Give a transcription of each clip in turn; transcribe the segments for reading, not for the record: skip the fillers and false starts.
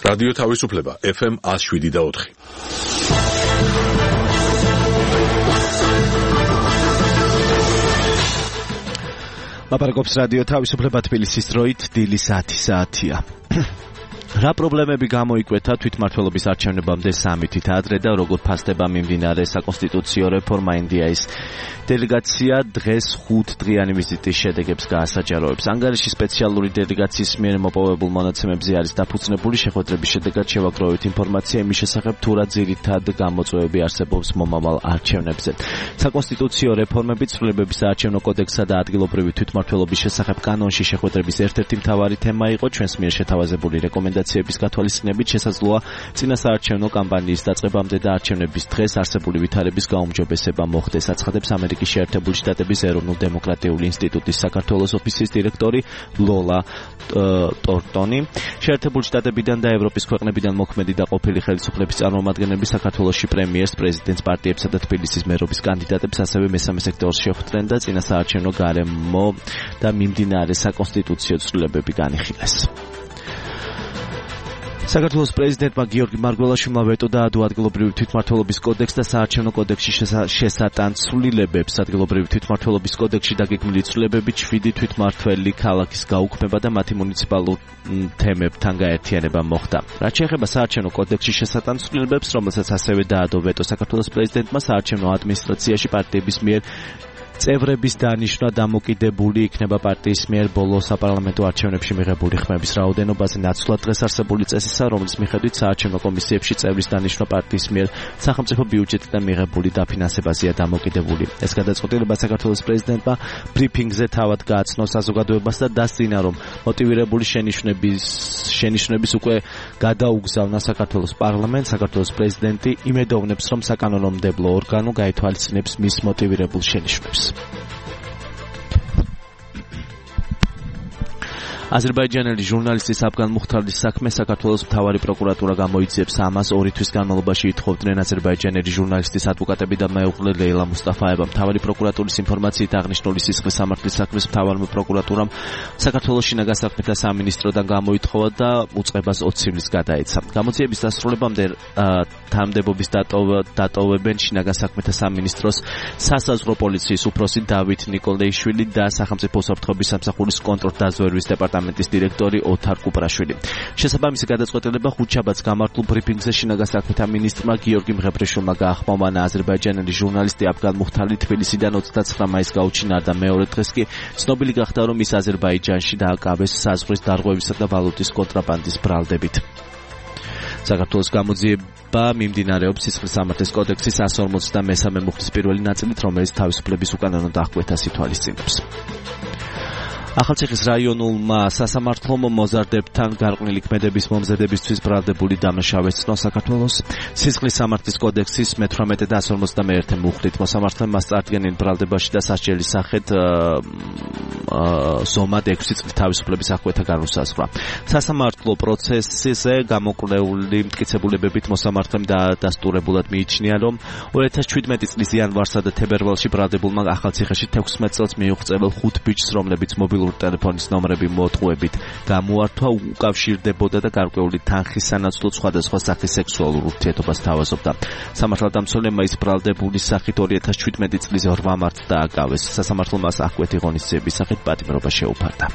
რადიო თავისუფლება FM 107.4. ლაპარაკობს რადიო თავისუფლება თბილისის დროით დილის 10 საათია. რა პრობლემები გამოიკვეთა თვითმმართველობის არჩევნებამდე 3 თვით ადრე და როგორ ფასდება მიმდინარე საკონსტიტუციო რეფორმა ინდიის დელეგაცია დღეს 5 დღიანი ვიზიტის შედეგებს გაასაჯაროებს. ანგარიში სპეციალური დელეგაციის მიერ მოპოვებულ მონაცემებზე არის დაფუძნებული. შეხვედრების შედეგად შევაგროვეთ ინფორმაცია იმის შესახებ, თუ რა ძირითად გამოწვევები არსებობს მომავალ არჩევნებზე. საკონსტიტუციო რეფორმები, ცვლილებების საარჩევნო კოდექსსა და ადგილობრივი თვითმმართველობის შესახებ კანონში შეხვედრების ერთ-ერთი მთავარი თემა იყო. ჩვენს მიერ შეთავაზებული რეკომენდაციების გათვალისწინებით შესაძლოა წინასაარჩევნო კამპანიის დაწყებამდე და არჩევნების დღეს არსებული ვითარების გაუმჯობესება მოხდეს, აცხადებს ამერიკის შეერთებული შტატების ეროვნულ დემოკრატიული ინსტიტუტის საქართველოს ოფისის დირექტორი ლოლა ტორტონი. შეერთებული შტატებიდან და ევროპის ქვეყნებიდან მოქმედი და ყოფილი ხელისუფლების წარმომადგენლები საქართველოში პრემიერს, პრეზიდენტს, პარტიებსა და თბილისის მერობის კანდიდატებს, ასევე მესამე სექტორს შეხვდნენ და წინასაარჩევნო გარემო და მიმდინარე საკონსტიტუციო ცვლილებები განიხილეს. საქართველოს პრეზიდენტმა გიორგი მარგველაშვილმა ვეტო დაადო ადგილობრივი თვითმმართველობის კოდექს და საარჩევნო კოდექსში შესატან ცვლილებებს. ადგილობრივი თვითმმართველობის კოდექსში დაგეგმილი ცვლილებები 7 თვითმმართველი ქალაქის გაუქმება და მათი მუნიციპალურ თემებთან გაერთიანება მოხდა. რაც შეეხება საარჩევნო კოდექსში შესატან ცვლილებებს, რომელსაც ასევე დაადო ვეტო საქართველოს პრეზიდენტმა, საარჩევნო ადმინისტრაციაში პარტიების მიერ წევრების დანიშვნა დამოკიდებული იქნება პარტიის მიერ ბოლო საპარლამენტო არჩევნებში მიღებული ხმების რაოდენობაზე. ნაცვლად დღეს არსებული წესისა, რომლის მიხედვით საარჩევნო კომისიებში წევრის დანიშვნა პარტიის მიერ სახელმწიფო ბიუჯეტიდან მიღებული დაფინანსებაზეა დამოკიდებული. ეს გადაწყვეტილება საქართველოს პრეზიდენტმა ბრიფინგზე თავად გააცნო საზოგადოებას და დასძინა, რომ მოტივირებული შენიშვნების უკვე გადაუგზავნა საქართველოს პარლამენტს. საქართველოს პრეზიდენტი იმედოვნებს, რომ საკანონმდებლო ორგანო გაითვალისწინებს მის მოტივირებულ შენიშვნებს. აზერბაიჯანელი ჟურნალისტის აფგან მუხთარლის საქმე საქართველოს მთავარი პროკურატურა გამოიძიებს. ამას 2 თვის განმავლობაში ითხოვდნენ აზერბაიჯანელი ჟურნალისტის ადვოკატები და მეუღლე ლეილა მუსტაფაევა. მთავარი პროკურატურის ინფორმაციით აღნიშნული სისხლის სამართლის საქმის მთავარმა პროკურატურამ საქართველოს შინაგან საქმეთა სამინისტროდან გამოითხოვა და უწყებას 20 ივლის გადაეცა. გამოძიების დასრულებამდე თანამდებობის დატოვებენ შინაგან საქმეთა სამინისტროს სასაზღვრო პოლიციის უფროსი დავით ნიკოლეიშვილი და სახელმწიფო უსაფრთხოების სამსახურის კონტრდაზვერვის დეპარტამენტის დირექტორი ოთარ კუპრაშვილი. შესაბამისი გადაწყვეტილება ხუთშაბათს გამართულ ბრიფინგზე შინაგან საქმეთა მინისტრმა გიორგი მღებრიშვილმა გაახმოვანა. აზერბაიჯანელი ჟურნალისტი აფგან მუხთარლი თბილისიდან 29 მაისს გაუჩინა და მეორე დღეს კი ცნობილი გახდა, რომ ის აზერბაიჯანში დააკავეს საზღვრის დარღვევისა და ვალუტის კონტრაბანდის ბრალდებით. საქართველოს გამოძიება მიმდინარეობს სისხლის სამართლის კოდექსის 153 მუხლის პირველი ნაწილით, რომელიც თავისუფლების უკანონო დახკვეთას ითვალისწინებს. ახალციხის რაიონულმა სასამართლომ მოზარდებთან გარყვნილი ქმედების მომზადებისთვის ბრალდებული დამნაშავე ეცნო საქართველოს სისხლის სამართლის კოდექსის მე-18 და 151 მუხლით. მოსამართლემ მას წარდგენილ ბრალდებაში და სასჯელის სახით ზომად 6 წლის თავისუფლების აღკვეთა განუსაზღვრა. სასამართლო პროცესზე გამოკვლეული მტკიცებულებებით მოსამართლემ დაადასტურებულად მიიჩნია, რომ 2017 წლის იანვარსა და თებერვალში ბრალდებულმა ახალციხეში 16 წელს მიუღწეվել 5 ბიჭს, რომლებიც მობილური ტელეფონის ნომრები მოთხოვებით გამოართვა, უკავშირდებოდა და გარკვეული თანხის სანაცვლოდ სხვადასხვა სახის სექსუალურ ურთიერთობას თავაზობდა. სამართალდამცველებმა ის ბრალდებულის სახით 2017 წლის 8 მარტს დააკავეს. სასამართლო მას აღკვეთი ღონისძიების სახით პატიმრობა შეუფარდა.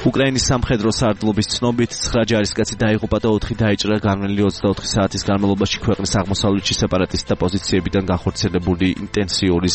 უკრაინის სამხედრო სარდლობის ცნობით 9 ჯარისკაცი დაიღუპა და 4 დაიჭრა განვლილი 24 საათის განმავლობაში ქვეყნის აღმოსავლეთში სეპარატისტთა პოზიციებიდან განხორციელებული ინტენსიური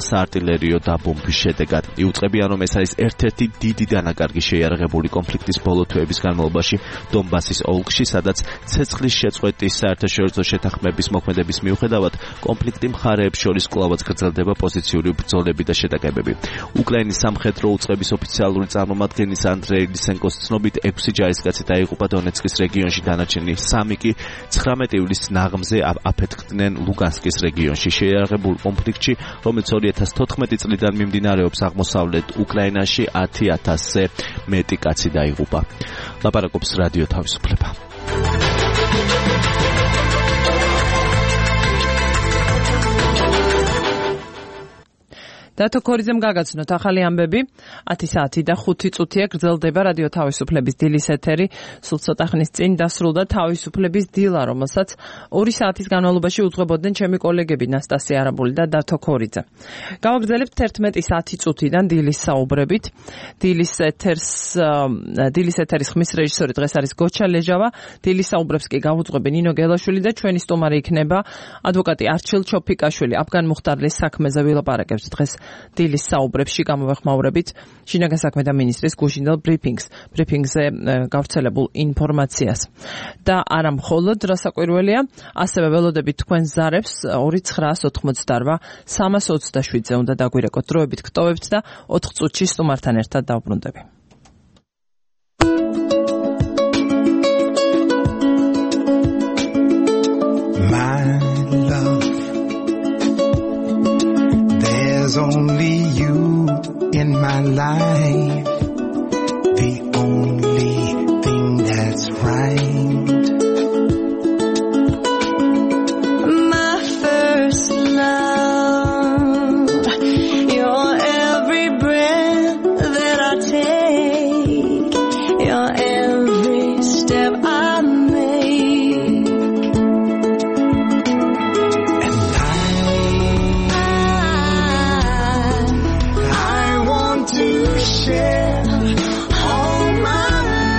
საარტილერიო დაბომბვის შედეგად. იუწყებიან, რომ ეს არის ერთ-ერთი დიდი დანაკარგი შეიარაღებული კონფლიქტის ბოლო თვეების განმავლობაში დონბასის ოლქში, სადაც ცეცხლის შეწყვეტის საერთაშორისო შეთანხმების მოქმედების მიუხედავად კონფლიქტი მხარეებს შორის კვლავაც გრძელდება პოზიციური ბრძოლები და შეტაკებები. უკრაინის სამხედრო უწყების ოფიციალური წარმომადგენლის ანდრეი ლისენკოს ცნობით 6 ჯარისკაცი დაიღუპა დონეცკის რეგიონში, დანარჩენი 3 კი 19 ივლისს ნაღმზე აფეთქდნენ ლუგანსკის რეგიონში. შეიარაღებულ კონფლიქტში, რომელიც 2014 წლიდან მიმდინარეობს აღმოსავლეთ უკრაინაში, 10,000-ზე მეტი კაცი დაიღუპა. ლაპარაკობს რადიო თავისუფლება. დათო ქორიძემ გაგაცნოთ ახალი ამბები 10 საათი და 5 წუთია გრძელდება რადიო თავისუფლების დილის ეთერი. სულ ცოტა ხნის წინ დასრულდა თავისუფლების დილა, რომელსაც 2 საათის განმავლობაში უძღვებოდნენ ჩემი კოლეგები ნასტასია არაბული და დათო ქორიძე. გავაგრძელებთ 11 საათი წუთიდან დილის საუბრებით. დილის ეთერის ხმის რეჟისორი დღეს არის გოჩა ლეჟავა. დილის საუბრებს კი გავუძღვები ნინო გელაშვილი და ჩვენი სტუმარი იქნება ადვოკატი არჩილ ჩოფიკაშვილი. აფგან მუხტარლის საქმეზე ვილაპარაკებთ დღეს დილის საუბრებში გამოვეხმაურებით შინაგან საქმეთა მინისტრის გუშინდელ ბრიფინგზე გავრცელებულ ინფორმაციას. და არა მხოლოდ რასაკვირველია, ასევე ველოდებით თქვენ ზარებს 2988 327-ზე უნდა დაგვირეკოთ დროებით გტოვებთ და 4 წუთში სტუმართან ერთად დავბრუნდები. There's only you in my life, the only thing that's right. My first love, you're every breath that I take, you're every step I make. And I want to share all my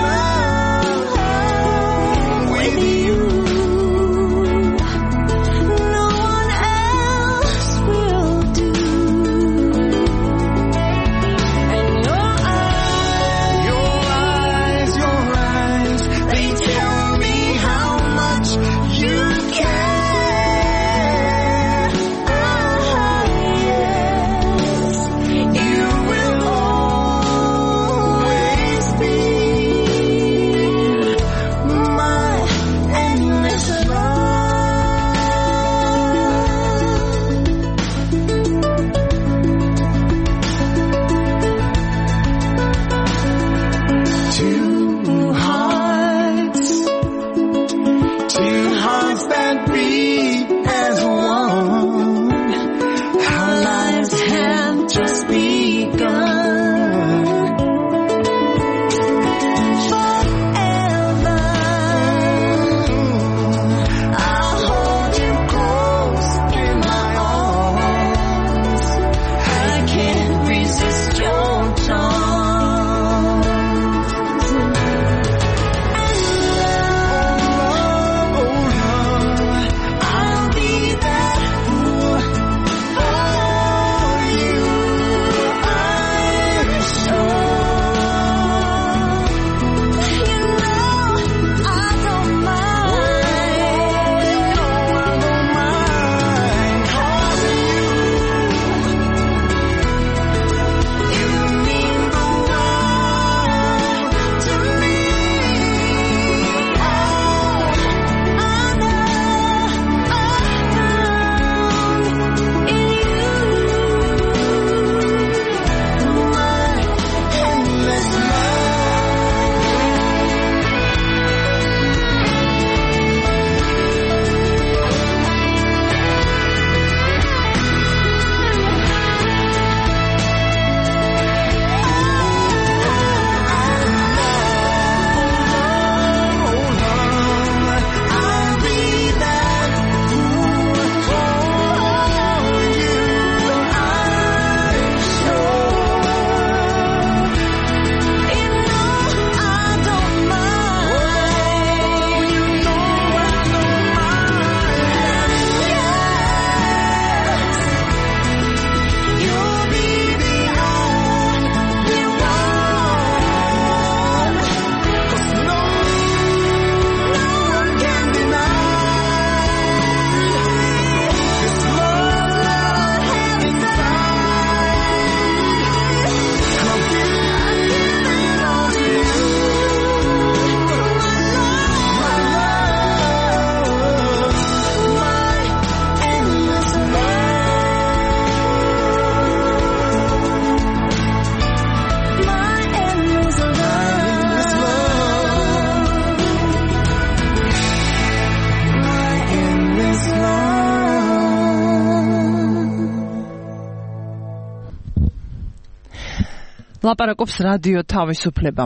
ლაპარაკობს რადიო თავისუფლება.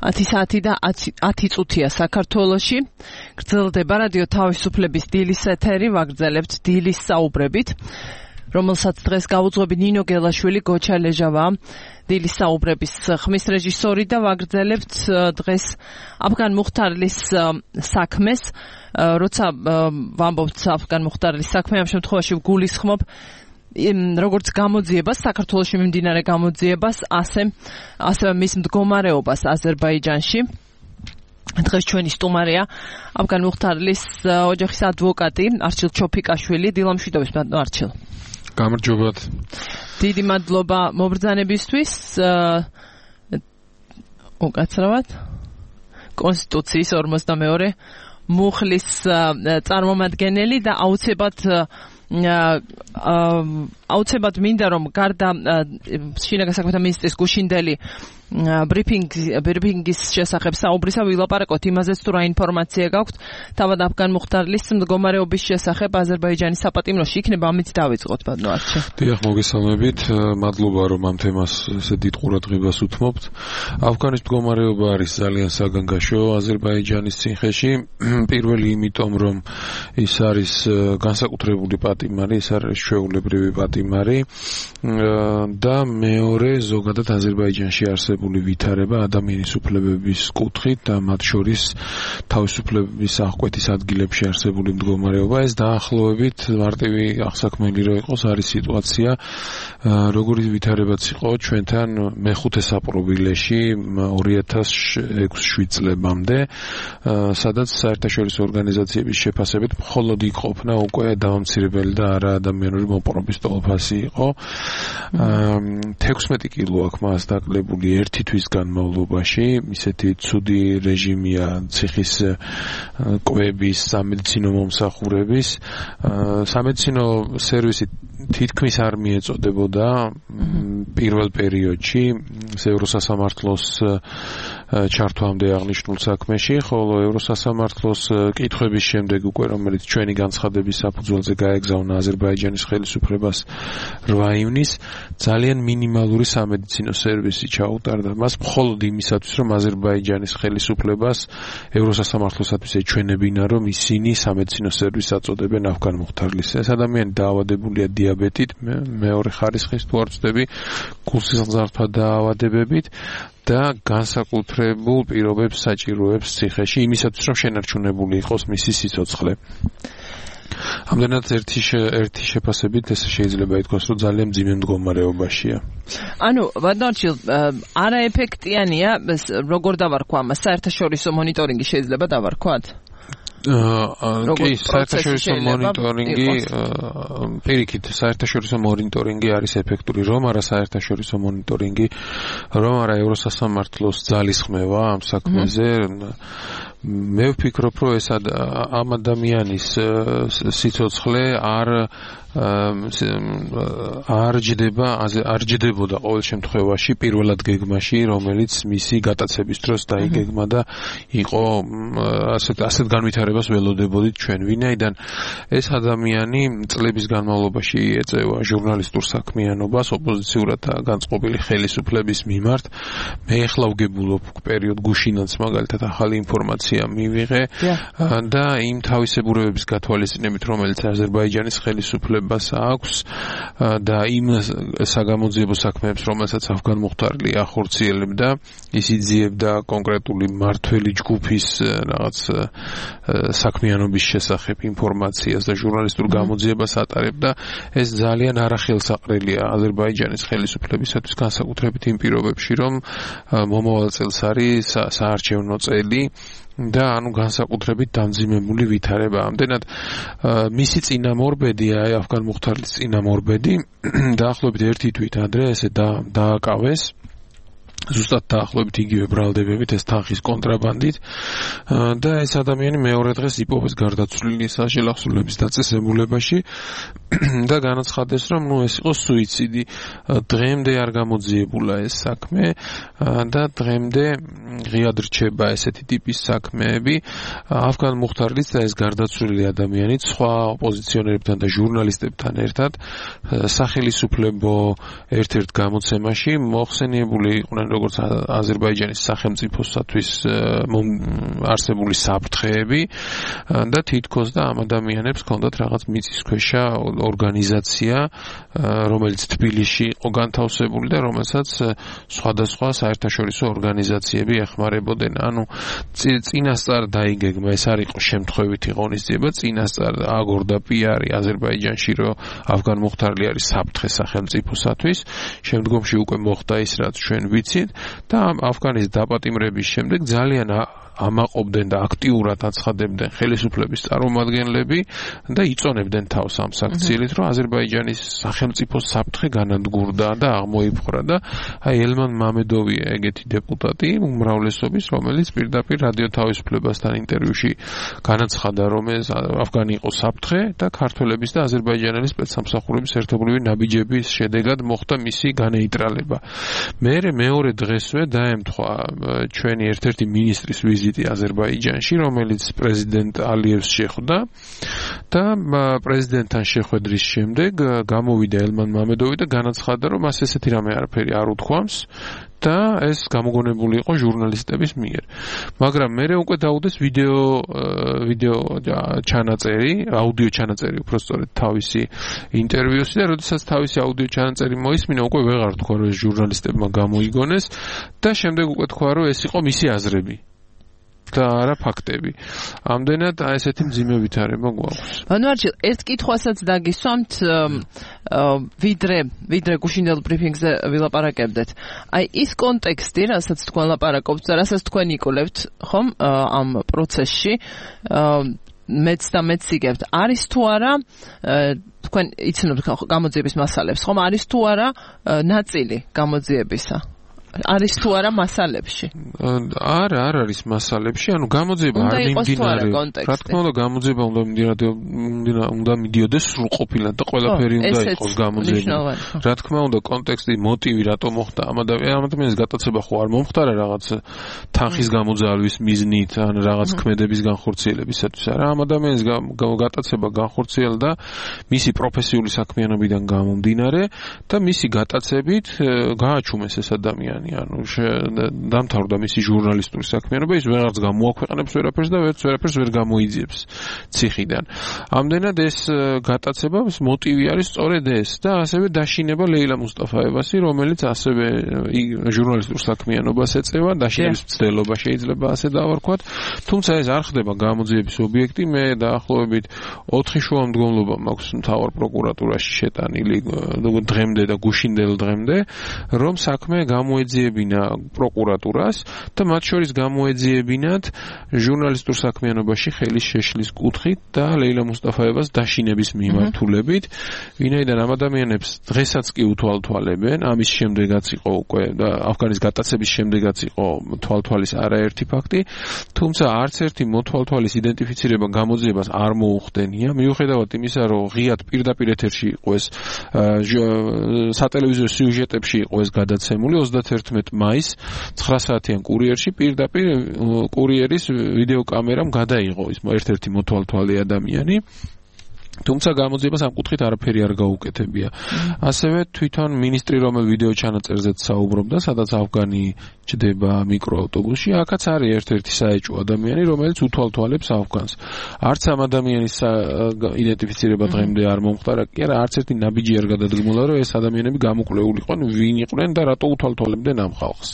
10 საათი და 10 წუთია საქართველოში. გრძელდება რადიო თავისუფლების დილის ეთერი, ვაგრძელებთ დილის საუბრებით, რომელსაც დღეს გაუძღვები ნინო გელაშვილი, გოჩა ლეჟავა, დილის საუბრების ხმის რეჟისორი და ვაგრძელებთ დღეს აფგან მუხტარლის საქმეს. როცა ვამბობთ აფგან მუხტარლის საქმე, ამ შემთხვევაში ვგულისხმობ როგორც გამოძიებას, საქართველოში მიმდინარე გამოძიებას, ასევე მის მდგომარეობას აზერბაიჯანში. დღეს ჩვენი სტუმარია აფგან მუხტარლის ოჯახის ადვოკატი არჩილ ჩოფიკაშვილი. დილამშვიდობის ბატონო არჩილ. გამარჯობათ. დიდი მადლობა მობრძანებისთვის. უკაცრავად კონსტიტუციის 42 მუხლის წარმომადგენელი და აუცილებლად მინდა რომ გარდა შინაგან საქმეთა მინისტრის გუშინდელი ბრიფინგის შესახებ საუბრისა ვილაპარაკოთ იმაზეც თუ რა ინფორმაცია გაქვთ თავად აფგან მუხტარლის მდგომარეობის შესახებ აზერბაიჯანის საპატიმროში. იქნება ამით დავიწყოთ ბატონო არჩილ. დიახ, მოგესალმებით. მადლობა რომ ამ თემას ესე დიდ ყურადღებას უთმობთ. აფგანის მდგომარეობა არის ძალიან საგანგაშო აზერბაიჯანის ციხეში. პირველი იმიტომ რომ ის არის განსაკუთრებული პატიმარი, ის არის ჩვეულებრივი პატიმარი და მეორე ზოგადად აზერბაიჯანში არსებული ვითარება ადამიანის უფლებების კუთხით და მათ შორის თავისუფლების აღკვეთის ადგილებში არსებული მდგომარეობა. ეს დაახლოებით მარტივი აღსაქმელი რო იყოს, არის სიტუაცია როგორი ვითარებაც იყო ჩვენთან მეხუთე საპრობილეში 2006-7 წლებამდე, სადაც საერთაშორისო ორგანიზაციების შეფასებით მხოლოდ იქ ყოფნა უკვე დამამცირებელი და არა ადამიანური მოპყრობის ტოლფასი იყო. 16 კილო აქვს მას დაკლებული ერთი თვის განმავლობაში. ისეთი ცუდი რეჟიმია ციხის კვების, სამედიცინო მომსახურების. სამედიცინო სერვისი თითქმის არ მიეწოდებოდა პირველ პერიოდში ევროსასამართლოს ჩართვამდე აღნიშნულ საქმეში, ხოლო ევროსასამართლოს კითხვების შემდეგ უკვე რომელიც ჩვენი განცხადების საფუძველზე გაეგზავნა აზერბაიჯანის ხელისუფლებას 8 ივნისს ძალიან მინიმალური სამედიცინო სერვისი ჩაუტარდა. მას მხოლოდ იმისათვის რომ აზერბაიჯანის ხელისუფლებას ევროსასამართლოსათვის ეჩვენებინა რომ ისინი სამედიცინო სერვისს აწოდებენ აფგან მუხტარლის. ეს ადამიანი დაავადებულია დიაბეტით, მეორე ხარისხის თუ არ ვწდები, გულსიზღართა დაავადებებით და განსაკუთრებულ პირობებს საჭიროებს ციხეში იმისათვის რომ შენარჩუნებული იყოს მისი სიცოცხლე. ამდენად ერთი შეფასებით ეს შეიძლება ითქვას რომ ძალიან მძიმე მდგომარეობაშია. ანუ ბატონო არჩილ, არაეფექტიანია, როგორ დავარქვა ამას, საერთაშორისო მონიტორინგი შეიძლება დავარქვათ? კი, საერთაშორისო მონიტორინგი პირიქით, საერთაშორისო მონიტორინგი არის ეფექტური, რომ არა საერთაშორისო მონიტორინგი, რომ არა ევროსასამართლოს ძალისხმევა ამ საქმეზე. მე ვფიქრობ, რომ ეს ამ ადამიანის სიცოცხლე არ ჯდებოდა ყოველ შემთხვევაში პირველად გეგმაში, რომელიც მისი გატაცების დროს დაიგეგმა და იყო ასეთ განვითარებას ველოდებოდით ჩვენ. ვინაიდან ეს ადამიანი წლების განმავლობაში ეწევა ჟურნალისტურ საქმიანობას ოპოზიციურად განწყობილი ხელისუფლების მიმართ. მე ახლა ვგებულობ პერიოდ გუშინაც მაგალითად ახალი ინფორმაცია მივიღე და იმ თავისებურებების გათვალისწინებით, რომელიც აზერბაიჯანის ხელისუფლებას აქვს და იმ საგამოძიებო საქმეებს, რომელსაც აფგან მუხტარლი ახორციელებდა, ის იძიებდა კონკრეტული მმართველი ჯგუფის რაღაც საქმიანობის შესახებ ინფორმაციას და ჟურნალისტურ გამოძიებას ატარებდა. ეს ძალიან არახელსაყრელია აზერბაიჯანის ხელისუფლებისათვის, განსაკუთრებით იმ პირობებში, რომ მომავალ წელს არის საარჩევნო წელი და ანუ განსაკუთრებით დამძიმებული ვითარება. ამდენად მისი წინამორბედი, აფგან მუხტარლის წინამორბედი დაახლოებით ერთი თვით ადრე ესე დააკავეს ზუსტად დაახლოებით იგივე ბრალდებებით ეს თანხის კონტრაბანდით და ეს ადამიანი მეორე დღეს იპოვეს გარდაცვლილი საშელახსოვრების დაწესებულებაში და განაცხადეს რომ ეს იყო სუიციდი. დღემდე არ გამოძიებულა ეს საქმე და დღემდე ღიად რჩება ესეთი ტიპის საქმეები. ავგან მუხტარლიც და ეს გარდაცვლილი ადამიანი სხვა ოპოზიციონერებთან და ჟურნალისტებთან ერთად სახელმწიფო ერთ-ერთ გამოცემაში მოხსენიებული იყვნენ როგორც აზერბაიჯანის სახელმწიფოსათვის არსებული საფრთხეები და თითქოს და ამ ადამიანებს ჰქონდათ რაღაც მიწისქვეშა ორგანიზაცია, რომელიც თბილისში იყო განთავსებული და რომელსაც სხვადასხვა საერთაშორისო ორგანიზაციები ეხმარებოდნენ. ანუ წინასწარ დაიგეგმა, ეს არ იყო შემთხვევითი ღონისძიება, წინასწარ აგორდა პიარი აზერბაიჯანში, რომ ავგან მუხტარლი არის საფრთხე სახელმწიფოსათვის. შემდგომში უკვე მოხდა ის, რაც ჩვენ ვიცით და ავგანის დაპატიმრების შემდეგ ძალიან ამაყობდნენ და აქტიურად აცხადებდნენ ხელისუფლების წარმომადგენლები და იწონებდნენ თავს ამ საქციელით, რომ აზერბაიჯანის სახელმწიფო საფრთხე განადგურდა და აღმოიფხვრა და აი ელმან მამედოვია ეგეთი დეპუტატი უმრავლესობის, რომელიც პირდაპირ რადიო თავისუფლებასთან ინტერვიუში განაცხადა, რომ ეს ავგანი იყო საფრთხე და ქართველების და აზერბაიჯანელი სპეცსამსახურების ერთობლივი ნაბიჯების შედეგად მოხდა მისი განეიტრალება. მეორე დღესვე დაემთხვა ჩვენი ერთ-ერთი მინისტრის ვიზიტი აზერბაიჯანში, რომელიც პრეზიდენტ ალიევს შეხვდა და პრეზიდენტთან შეხვედრის შემდეგ გამოვიდა ელმან მამედოვი და განაცხადა, რომ მას ესეთი რამე არაფერი არ უთქვამს და ეს გამოგონებული იყო ჟურნალისტების მიერ. მაგრამ მერე უკვე დაუდეს ვიდეო ჩანაწერი, აუდიო ჩანაწერი უბრალოდ თავისი ინტერვიუსი და როდესაც თავისი აუდიო ჩანაწერი მოისმინა, უკვე ვეღარ თქვა, რომ ეს ჟურნალისტებმა გამოიგონეს და შემდეგ უკვე თქვა, რომ ეს იყო მისი აზრები. და არა ფაქტები. ამდენად ესეთი მძიმე ვითარება გვაქვს. ბანვარჯი, ერთ კითხვასაც დაგისვამთ, ვიდრე გუშინდელ ბრიფინგზე ვილაპარაკებდეთ. აი ის კონტექსტი, რასაც თქვენ ლაპარაკობთ და რასაც თქვენ იკვლევთ, ხომ, ამ პროცესში, მეც და მეც იგებთ. არის თუ არა თქვენ იცნობთ გამოძიების მასალებს, ხომ, არის თუ არა ნაწილი გამოძიებისა? არის თუ არა მასალებში? არა, არ არის მასალებში, ანუ გამოძიება არ მიმდინარეობს. რა თქმა უნდა, გამოძიება უნდა მიდიოდეს სრულყოფილად და ყველაფერი უნდა იყოს გამოძიება. რა თქმა უნდა, კონტექსტი, მოტივი რატომ მოხდა ამ ადამიანის გატაცება ხო არ მომხდარა რაღაც თანხის გამოძალვის მიზნით, ან რაღაც ქმედების განხორციელებისათვის. არა, ამ ადამიანის გატაცება განხორციელდა მისი პროფესიული საქმიანობიდან გამომდინარე და მისი გატაცებით გააჩუმეს ეს ადამიანი. ანუ დამთავრდა მისი ჟურნალისტური საქმიანობა, ის ვეღარც გამოაქვეყნებს ვერაფერს და ვერაფერს ვერ გამოიძიებს ციხიდან. ამდენად ეს გატაცებას მოტივი არის სწორედ ეს და ასევე დაშინება ლეილა მუსტაფაევასი, რომელიც ასევე ჟურნალისტურ საქმიანობას ეწევა, დაშინების მცდელობა შეიძლება ასე დავარქვათ. თუმცა ეს არ ხდება გამოძიების ობიექტი. მე დაახლოებით 4 შუამდგომლობა მაქვს მთავარ პროკურატურაში შეტანილი დღემდე და გუშინდელ დღემდე, რომ საქმე გამოეძიებინა პროკურატურას და მათ შორის გამოეძიებინათ ჟურნალისტურ საქმიანობაში ხელის შეშლის კუთხით და ლეილა მუსტაფაევას დაშინების მიმართულებით, ვინაიდან ამ ადამიანებს დღესაც კი უთვალთვალებენ, ამის შემდეგაც იყო უკვე და ავგანის გატაცების შემდეგაც იყო თვალთვალის არაერთი ფაქტი, თუმცა არც ერთი მოთვალთვალის იდენტიფიცირება გამოძიებას არ მოუხდენია, მიუხედავად იმისა, რომ ღიად პირდაპირ ეთერში იყო ეს სატელევიზიო სიუჟეტებში იყო ეს გადაცემული 31 მაის 9 საათიან კურიერში პირდაპირ კურიერის ვიდეოკამერამ გადაიღო ის ერთ-ერთი მოთვალთვალე ადამიანი. თუმცა გამოძიებას ამ კუთხით არაფერი არ გაუკეთებია. ასევე თვითონ მინისტრი რომელ ვიდეო ჩანაწერზეც საუბრობდა, სადაც ავგანი ჭდება მიკროავტობუსში, აქაც არის ერთ-ერთი საეჭვო ადამიანი, რომელიც უთვალთვალებს ავგანს. არც ამ ადამიანის იდენტიფიცირება დღემდე არ მომხდარა, კი არა, არც ერთი ნაბიჯი არ გადადგმულა, რომ ეს ადამიანები გამოკვლეულიყვნენ, ვინ იყვნენ და რატო უთვალთვალებდნენ ამ ხალხს.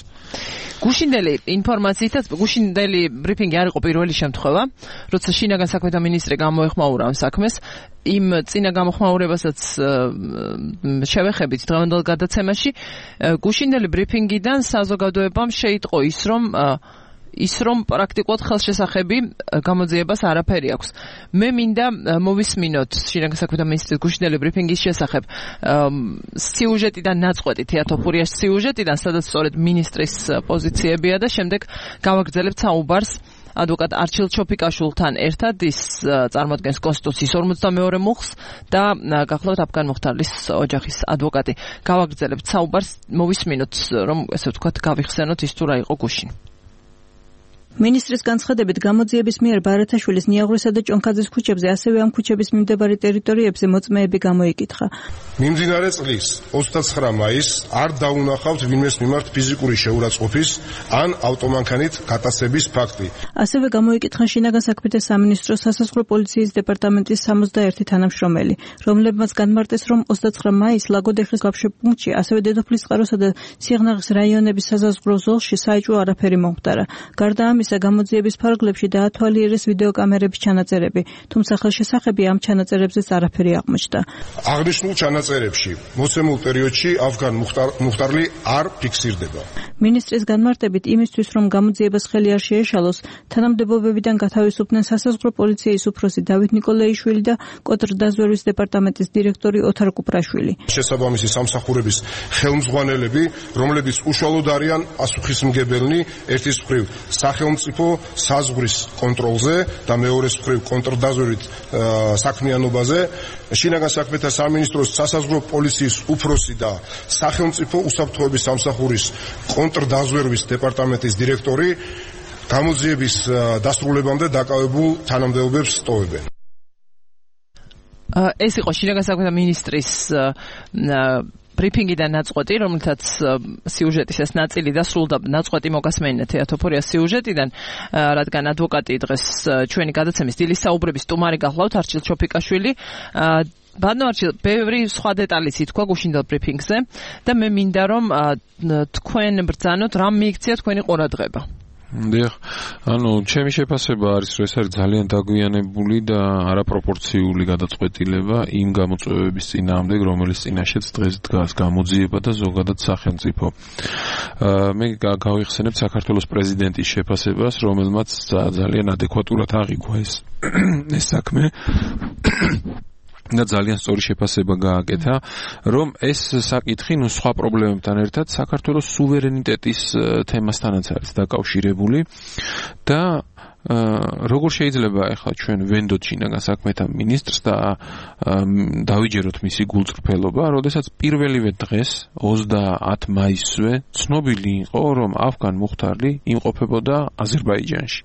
გუშინდელი ინფორმაციითაც გუშინდელი ბრიფინგი არ იყო პირველი შემთხვევა, როცა შინაგან საქმეთა მინისტრი გამოეხმაურა ამ საქმეს. იმ წინა გამოხმაურებასაც შევეხებით დღევანდელ გადაცემაში. გუშინდელი ბრიფინგიდან საზოგადოებამ შეიტყო ის, რომ ის რომ პრაქტიკულად ხელშესახები გამოძიებას არაფერი აქვს. მე მინდა მოვისმინოთ შინაგან საქმეთა მინისტრის გუშინდელი ბრიფინგის შესახებ სიუჟეტიდან ნაწყვეტი თეატოფურიაში სიუჟეტიდან, სადაც სწორედ მინისტრის პოზიციებია და შემდეგ გავაგრძელებთ საუბარს ადვოკატ არჩილ ჩოფიკაშვილთან ერთად. ის წარმოადგენს კონსტიტუციის 52 მუხლს და გახლავთ აფგან მუხტარლის ოჯახის ადვოკატი. გავაგრძელებთ საუბარს, მოვისმინოთ, რომ ესე ვთქვათ, გავიხსენოთ ის თუ რა იყო გუშინ. მინისტრის განცხადებით გამოძიების მიერ ბარათაშვილის ნიაღვრისა და ჭონქაძის ქუჩებზე, ასევე ამ ქუჩების მიმდებარე ტერიტორიებზე მოწმეები გამოიკითხა. მიმდინარე წლის 29 მაისს არ დაუნახავთ ვინმეს მიმართ ფიზიკური შეურაცხყოფის ან ავტომანქანით გატაცების ფაქტი. ასევე გამოიკითხა შინაგან საქმეთა სამინისტროს სასაზღვრო პოლიციის დეპარტამენტის 61 თანამშრომელი, რომლებმაც განმარტეს, რომ 29 მაისს ლაგოდეხის გაფშებ პუნქტში, ასევე დედოფლის წყაროსა და სიღნაღის რაიონების სასაზღვრო ზოლში საეჭვო არაფერი მომხდარა. გარდა ამისა, გამოძიების ფარგლებში დაათვალიერეს ვიდეოკამერების ჩანაწერები, თუმცა ხელშესახები ამ ჩანაწერებზეც არაფერი აღმოჩნდა. აღნიშნულ ჩანაწერებში მოცემულ პერიოდში აფგან მუხტარლი არ ფიქსირდება. მინისტრის განმარტებით, იმისთვის, რომ გამოძიებას ხელი არ შეეშალოს, თანამდებობებიდან გათავისუფლდნენ სასაზღვრო პოლიციის უფროსი დავით ნიკოლაიშვილი და კონტრდაზვერვის დეპარტამენტის დირექტორი ოთარ კუპრაშვილი. შესაბამისი სამსახურების ხელმძღვანელები, რომლებიც უშუალოდ არიან პასუხისმგებელნი ერთის მხრივ სახელმწიფო საზღვრის კონტროლზე და მეორეს მხრივ კონტრდაზვერვით საქმიანობაზე, შინაგან საქმეთა სამინისტროს სასაზღვრო პოლიციის უფროსი და სახელმწიფო უსაფრთხოების სამსახურის კონტრდაზვერვის დეპარტამენტის დირექტორი გამოძიების დასრულებამდე დაკავებულ თანამდებობებს ტოვებენ. ეს იყო შინაგან საქმეთა მინისტრის ბრიფინგიდან ნაწყვეტი, რომელთაც სიუჟეტის ეს ნაწილი დასრულდა. ნაწყვეტი მოგასმენინა თეატოფურიას სიუჟეტიდან, რადგან ადვოკატი დღეს ჩვენი გადაცემის დილის საუბრების სტუმარი გახლავთ არჩილ ჩოფიკაშვილი. ბატონო არჩილ, ბევრი სხვა დეტალიც ითქვა გუშინდელ ბრიფინგზე და მე მინდა რომ თქვენ ბრძანოთ, რამ მიიქცია თქვენი ყურადღება. დიახ, ჩემი შეფასება არის, რომ ეს არის ძალიან დაგვიანებული და არაპროპორციული გადაწყვეტილება იმ გამოწვევების წინააღმდეგ, რომელიც წინაშეც დღეს დგას გამოძიება და ზოგადად სახელმწიფო. მე გავიხსენებ საქართველოს პრეზიდენტის შეფასებას, რომელმაც ძალიან ადეკვატურად აღიქვა ეს საქმე. და ძალიან სწორი შეფასება გააკეთა, რომ ეს საკითხი სხვა პრობლემებთან ერთად საქართველოს სუვერენიტეტის თემასთანაც არის დაკავშირებული და როგორ შეიძლება ახლა ჩვენ ვენდოთ შინაგან საქმეთა მინისტრს და დავიჯეროთ მისი გულწრფელობა, როდესაც პირველივე დღეს 30 მაისზე ცნობილი იყო, რომ აფგან მუხტარლი იმყოფებოდა აზერბაიჯანში.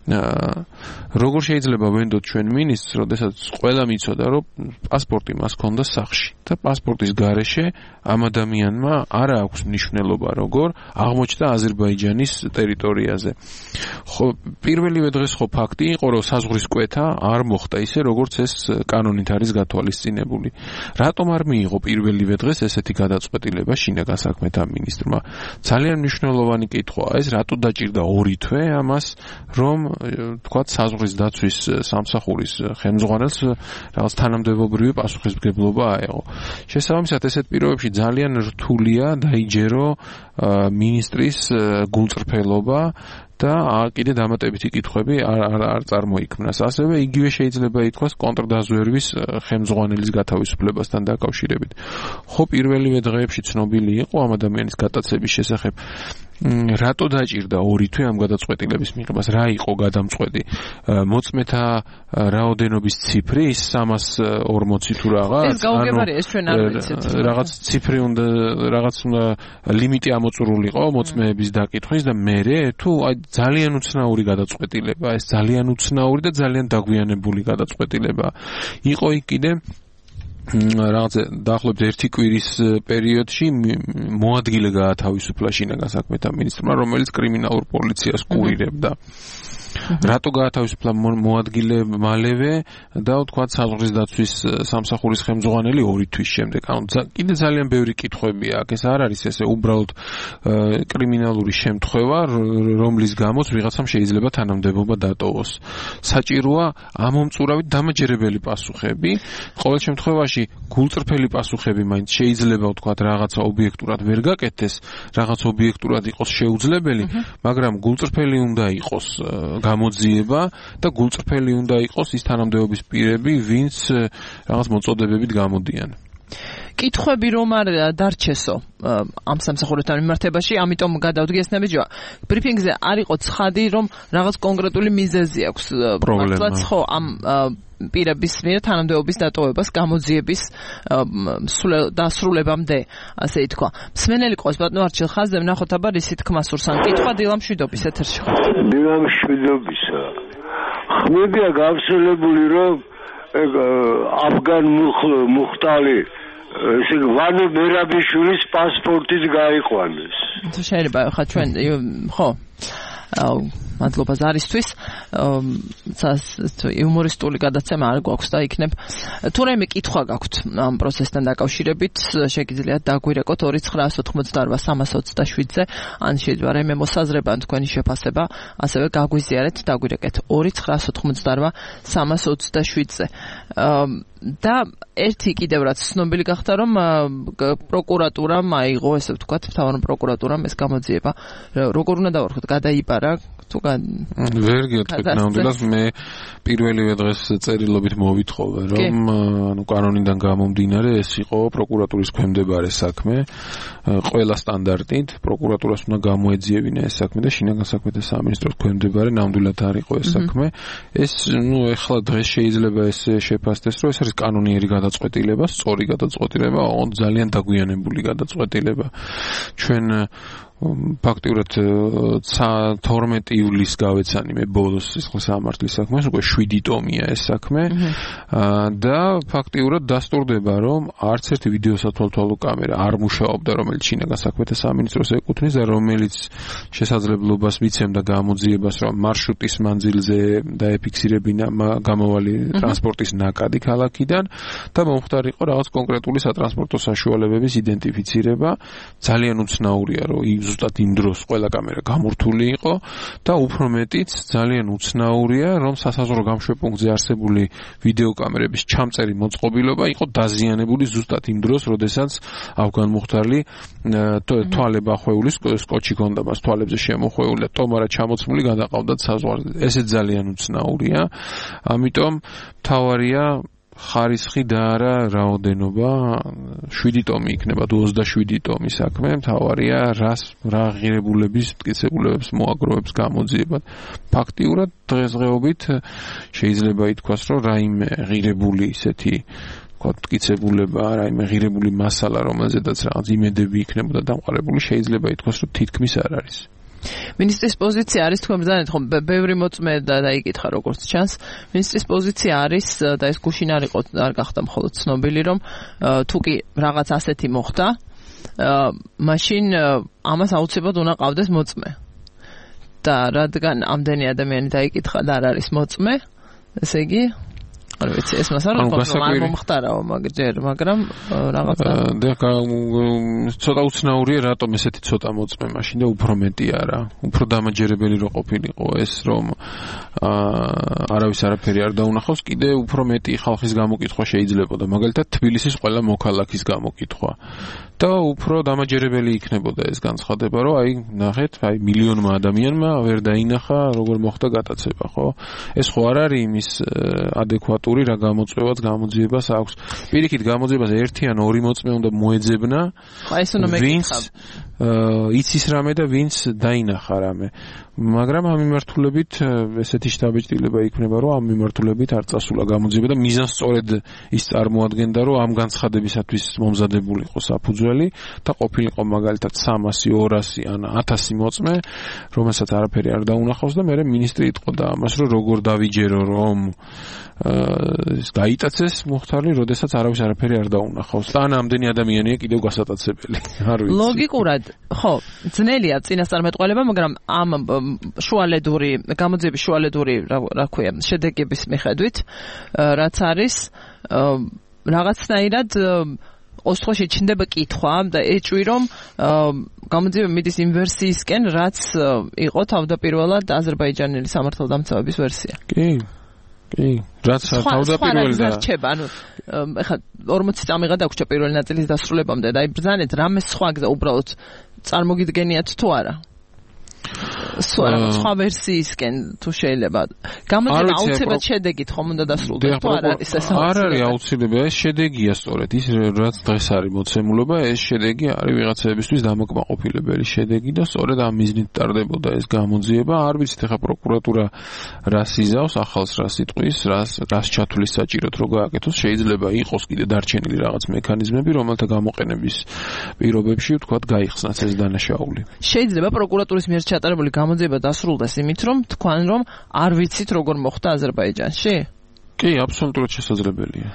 როგორ შეიძლება ვენდოთ ჩვენ მინისტრს, როდესაც ყველა მიცოდა, რომ პასპორტი მას ჰქონდა სახში და პასპორტის გარეშე ამ ადამიანმა არ აქვს მნიშვნელობა, როგორ აღმოჩნდა აზერბაიჯანის ტერიტორიაზე. ხო, პირველივე დღეს ხო ფაქტი იყო, რომ საზღვრის კვეთა არ მოხდა ისე, როგორც ეს კანონით არის გათვალისწინებული. რატომ არ მიიღო პირველივე დღეს ესეთი გადაწყვეტილება შინაგან საქმეთა მინისტრმა? ძალიან მნიშვნელოვანი კითხვაა ეს, რატო დაჭირდა 2 თვე ამას, რომ თქვათ საზღვრის დაცვის სამსახურის ხელმძღვანელს რაღაც თანამდებობრივი პასუხისმგებლობა აეღო. შესაბამისად, ესეთ პირობებში ძალიან რთულია დაიჯერო მინისტრის გულწრფელობა და კიდე დამატებითი კითხვები არ წარმოიქმნას. ასევე იგივე შეიძლება ითქვას კონტრდაზვერვის ხელმძღვანელის გათავისუფლებასთან დაკავშირებით. ხო, პირველივე დღეებში ცნობილი იყო ამ ადამიანის გატაცების შესახებ. რატო დაჭირდა 2 თვე ამ გადაწყვეტილების მიღებას? რა იყო გადამწყვეტი? მოწმეთა რაოდენობის ციფრი 340 თუ რაღაც? ეს გაუგებარია, ეს ჩვენ არ ვიცით. რაღაც ციფრი უნდა, რაღაც ლიმიტი ამოწურულიყო მოწმეების დაკითხვის და მერე თუ ძალიან უცნაური გადაწყვეტილება, ეს ძალიან უცნაური და ძალიან დაგვიანებული გადაწყვეტილება. იყო იქ კიდე რაღაც დაახლოებით 1 კვირის პერიოდში მოადგილე გაათავისუფლა შინაგან საქმეთა მინისტრმა, რომელიც კრიმინალურ პოლიციას კურირებდა. რატო გაათავისუფლა მოადგილე მალევე და თქვა საზღვრის დაცვის სამსახურის ხელმძღვანელი 2 თვის შემდეგ. ანუ კიდე ძალიან ბევრი კითხვებია აქ. ეს არ არის ესე უბრალოდ კრიმინალური შემთხვევა, რომლის გამოც ვიღაცამ შეიძლება თანამდებობა დატოვოს. საჭიროა ამომწურავი დამაჯერებელი პასუხები. ყოველ შემთხვევაში გულწრფელი პასუხები მაინც შეიძლება ვთქვათ რაღაცა ობიექტურად ვერ გაკეთდეს, რაღაც ობიექტურად იყოს შეუძლებელი, მაგრამ გულწრფელი უნდა იყოს გამოძიება და გულწრფელი უნდა იყოს ის თანამდებობის პირები, ვინც რაღაც მოწოდებებით გამოდიან. კითხვები რომ არ დარჩესო ამ სამსახურებთან მიმართებაში, ამიტომ გადავდგე ეს ნაბიჯია. ბრიფინგზე არ იყო ცხადი, რომ რაღაც კონკრეტული მიზეზი აქვს. მართლაც ხო ამ პირების მიერ თანამდებობის დატოვებას გამოძიების დასრულებამდე, ასე ითქვა. მსმენელი ყავს ბატონო არჩილ ხაზზე, ვნახოთ აბა რისი თქმა სურს. ან კითხვა დილამშვიდობის ეთერში ხო? დილამშვიდობისა. ხმებია გავრცელებული, რომ აფგან მუხტალი ესე ვანო მერაბიშვილის პასპორტით გაიყვანეს. შეიძლება ხა ჩვენ ხო მადლობა ზარისთვის. იუმორისტული გადაცემა არ გვაქვს და იქნებ თუ რაიმე კითხვა გაქვთ ამ პროცესთან დაკავშირებით, შეგიძლიათ დაგვირეკოთ 2988327-ზე, ან შეიძლება რაიმე მოსაზრება ან თქვენი შეფასება, ასევე გაგვიზიარეთ, დაგვირეკეთ 2988327-ზე. და ერთი კიდევ რაც ცნობილი გახდა, რომ პროკურატურამ აიღო, ესე ვთქვათ, მთავარ პროკურატურამ ეს გამოძიება. როგორ უნდა დავარქოთ, გადაიბარა ვერ გეტყვით ნამდვილად, მე პირველივე დღეს წერილობით მოვითხოვე, რომ ანუ კანონიდან გამომდინარე ეს იყო პროკურატურის ქვემდებარე საქმე, ყველა სტანდარტით პროკურატურას უნდა გამოეძიებინა ეს საქმე და შინაგან საქმეთა სამინისტროს ქვემდებარე ნამდვილად არ იყო ეს საქმე. ეს ეხლა დღეს შეიძლება ეს შეფასდეს, რომ ეს არის კანონიერი გადაწყვეტილება, სწორი გადაწყვეტილება, ძალიან დაგვიანებული გადაწყვეტილება. ჩვენ ფაქტიურად 12 ივლისს გავეცანი მე ბოლოს ეს სამართლის საქმეს, უკვე 7 ტომია ეს საქმე და ფაქტიურად დასტურდება, რომ არც ერთი ვიდეო სათვალთვალო კამერა არ მუშაობდა, რომელიც შინაგან საქმეთა სამინისტროს ეკუთვნის და რომელიც შესაძლებლობას მიცემდა გამოძიებას, რომ მარშრუტის მანძილზე დაეფიქსირებინა გამავალი ტრანსპორტის ნაკადი ქალაქიდან და მომხდარ იყო რაღაც კონკრეტული სატრანსპორტო საშუალებების იდენტიფიცირება. ძალიან უცნაურია, რომ ზუსტად იმ დროს ყველა კამერა გამურთული იყო და უფრო მეტიც ძალიან უცნაურია, რომ სასაზღვრო გამშვებპუნქტზე არსებული ვიდეოკამერების ჩამწერი მოწყობილობა იყო დაზიანებული ზუსტად იმ დროს, როდესაც აფგან მუხტალი თვალებ ახვეულის სკოჩი ქონდა მას თვალებზე შემოხვეული და ტომარა ჩამოცმული გადაყავდათ საზღვარზე. ესე ძალიან უცნაურია. ამიტომ მთავარია ხარისხი და არა რაოდენობა. 7 ტომი იქნება, 27 ტომი საქმე. მთავარია რა ღირებულების, მტკიცებულებებს მოაგროვებს გამოძიება. ფაქტიურად დღესდღეობით შეიძლება ითქვას, რომ რაიმე ღირებული ისეთი მტკიცებულება, რაიმე ღირებული მასალა, რომელზედაც რაღაც იმედები იქნებოდა დამყარებული, შეიძლება ითქვას, რომ თითქმის არ არის. მინისტრის პოზიცია არის თქვენ ბრძანეთ ხომ ბევრი მოწმე და დაიკითხა როგორც ჩანს. მინისტრის პოზიცია არის და ეს გუშინ არ გახდა მხოლოდ ცნობილი, რომ თუ კი რაღაც ასეთი მოხდა, მაშინ ამას აუცილებლად უნდა ყავდეს მოწმე. და რადგან ამდენი ადამიანი დაიკითხა და არ არის მოწმე, ესე იგი არ ვიცი, ეს მას არ მომხდარაო მაგრამ რაღაცა ცოტა უცნაურია, რატომ ესეთი ცოტა მოწმე მაშინ და უფრო მეტი არა, უფრო დამაჯერებელი რო ყოფილიყო ეს, რომ არავის არაფერი არ დაუნახავს, კიდე უფრო მეტი ხალხის გამოკითხვა შეიძლებოდა, მაგალითად თბილისის ყველა მოქალაქის გამოკითხვა და უფრო დამაჯერებელი იქნებოდა ეს განცხადება, რომ აი ნახეთ, აი მილიონმა ადამიანმა ვერ დაინახა როგორ მოხდა გატაცება, ხო? ეს ხო არ არის იმის ადეკვატური რა გამოწვევაც გამოძიებას აქვს. პირიქით გამოძიებას ერთი ან ორი მოწმე უნდა მოეძებნა. აი ეს უნდა მეკითხა. იცის რამე და ვინც დაინახა რამე. მაგრამ ამ მიმართულებით ესეთი შთაბეჭდილება იქნება, რომ ამ მიმართულებით არ წასულა გამოძიება და მიზანს სწორედ ის წარმოადგენდა, რომ ამ განცხადებისათვის მომზადებული იყო საფუძველი და ყოფილიყო მაგალითად 300, 200 ან 1000 მოწმე, რომელსაც არაფერი არ დაუნახავს და მე მინისტრი იტყოდა ამას, რომ როგორ დავიჯერო, რომ გაიტაცეს მუხტარი, როდესაც არავის არაფერი არ დაუნახავს. და ამდენი ადამიანია კიდევ გასატაცებელი. არ ვიცი. ლოგიკურად, ხო, ძნელია წინასწარმეტყველება, მაგრამ ამ შუალედური გამოძიების შუალედური, რა ქვია, შედეგების მიხედვით, რაც არის რაღაცნაირად ოსტხოში ჩნდება კითხვა და ეჭვი რომ გამოძიება მიდის იმ ვერსიისკენ, რაც იყო თავდაპირველად აზერბაიჯანელი სამართალდამცავების ვერსია. კი, რაც თავდაპირველად რჩება, ანუ ეხლა 40 წამი გადაგვრჩა პირველი ნაწილის დასრულებამდე და აი ბრძანეთ რამე სხვა გზა უბრალოდ წარმოგიდგენიათ თუ არა? სხვა ვერსიისკენ თუ შეიძლება გამოძიება აუცილებლად შედეგით ხომ უნდა დასრულდეს თუ არ არის ეს არ არის აუცილებელი ეს შედეგია სწორედ ის რაც დღეს არის მოცემულობა ეს შედეგი არის ვიღაცებისთვის დამაკმაყოფილებელი შედეგი და სწორედ ამ მიზნით ტარდებოდა ეს გამოძიება არ ვიცით ახლა პროკურატურა რას იზავს ახალს რას იტყვის რას ჩათვლის საჭიროდ რო გააკეთოს შეიძლება იყოს კიდე დარჩენილი რაღაც მექანიზმები რომელთა გამოყენების პირობებში ვთქვათ გაიხსნას ეს დანაშაული შეიძლება პროკურატურის მიერ ჩატარებული გამოძიება დასრულდეს იმით, რომ თქვენ რომ არ ვიცით როგორ მოხდა აზერბაიჯანში? კი, აბსოლუტურად შესაძლებელია.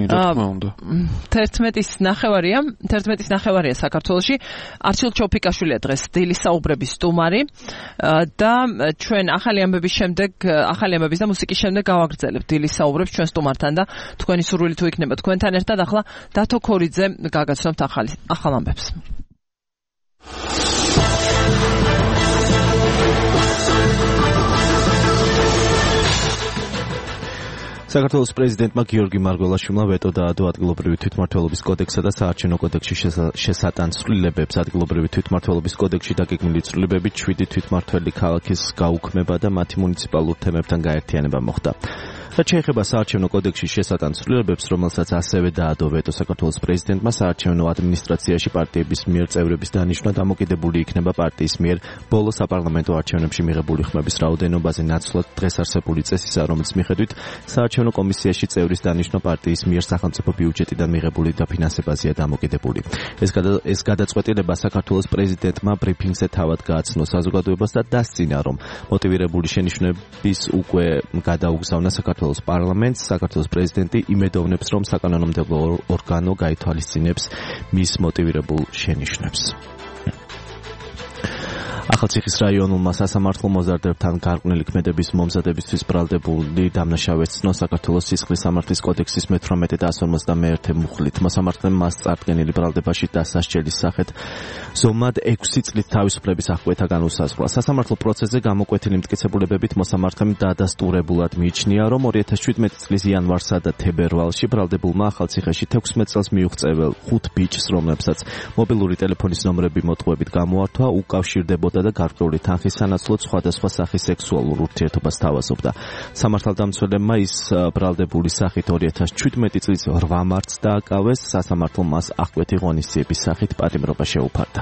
რა თქმა უნდა. 11-ის ნახევარია საქართველოში. არჩილ ჩოფიკაშვილია დღეს დილის საუბრების სტუმარი და ჩვენ ახალი ამბების და მუსიკის შემდეგ გავაგრძელებთ დილის საუბრებს ჩვენ სტუმართან და თქვენი სურვილი თუ იქნება თქვენთან ერთად ახლა დათო ქორიძე გაგაცნობთ ახალ ამბებს. საქართველოს პრეზიდენტმა გიორგი მარგველაშვილმა ვეტო დაადო ადგილობრივი თვითმმართველობის კოდექსსა და საარჩევნო კოდექსში შესატან ცვლილებებს. ადგილობრივი თვითმმართველობის კოდექსში დაგეგმილი ცვლილებებით 7 თვითმმართველი ქალაქის გაუქმება და მათი მუნიციპალურ თემებთან გაერთიანება მოხდა. რაც შეეხება საარჩევნო კოდექსში შესატან ცვლილებებს, რომელსაც ასევე დაადო ვეტო საქართველოს პრეზიდენტმა, საარჩევნო ადმინისტრაციაში პარტიების მიერ წევრების დანიშვნა დამოკიდებული იქნება პარტიის მიერ ბოლო საპარლამენტო არჩევნებში მიღებული ხმების რაოდენობაზე ნაცვლად დღეს არსებული წესისა, რომელიც მიხედვით საარჩევნო კომისიაში წევრის დანიშვნა პარტიის მიერ სახელმწიფო ბიუჯეტიდან მიღებული დაფინანსებაზეა დამოკიდებული. ეს გადაწყვეტილება საქართველოს პრეზიდენტმა ბრიფინგზე თავად გააცნო საზოგადოებას და დასცინა, რომ მოტივირებული შენიშვნების უკვე გადაუგზავნა საქართველოს პარლამენტს. საქართველოს პრეზიდენტი იმედოვნებს, რომ საკანონმდებლო ორგანო გაითვალისწინებს მის მოტივირებულ შენიშვნებს. ახალციხის რაიონულმა სასამართლომ მოზარდებთან გარყვნილი ქმედების მომზადებისთვის ბრალდებული დამნაშავეს ცნო საქართველოს სისხლის სამართლის კოდექსის მე-18 და 151 მუხლით. მოსამართლემ მას წარდგენილი ბრალდებაში დასასჯელის სახით ზომად 6 წლით თავისუფლების აღკვეთა განუსაზღვრა. სასამართლო პროცესზე გამოკვეთილი მტკიცებულებებით მოსამართლემ დადასტურებულად მიიჩნია, რომ 2017 წლის იანვარსა და თებერვალში ბრალდებულმა ახალციხეში 16 წელს მიუღწეվել 5 ბიჭს, რომლებსაც მობილური ტელეფონის ნომრები მოტყუებით გამოართვა, უკავშირდებოდა და გარკვეული თანხის სანაცვლოდ სხვადასხვა სახის სექსუალურ ურთიერთობას თავაზობდა. სამართალდამცველებმა ის ბრალდებული სახით 2017 წლის 8 მარტს დააკავეს, სასამართლომ მას აღკვეთი ღონისძიების სახით პატიმრობა შეუფარდა.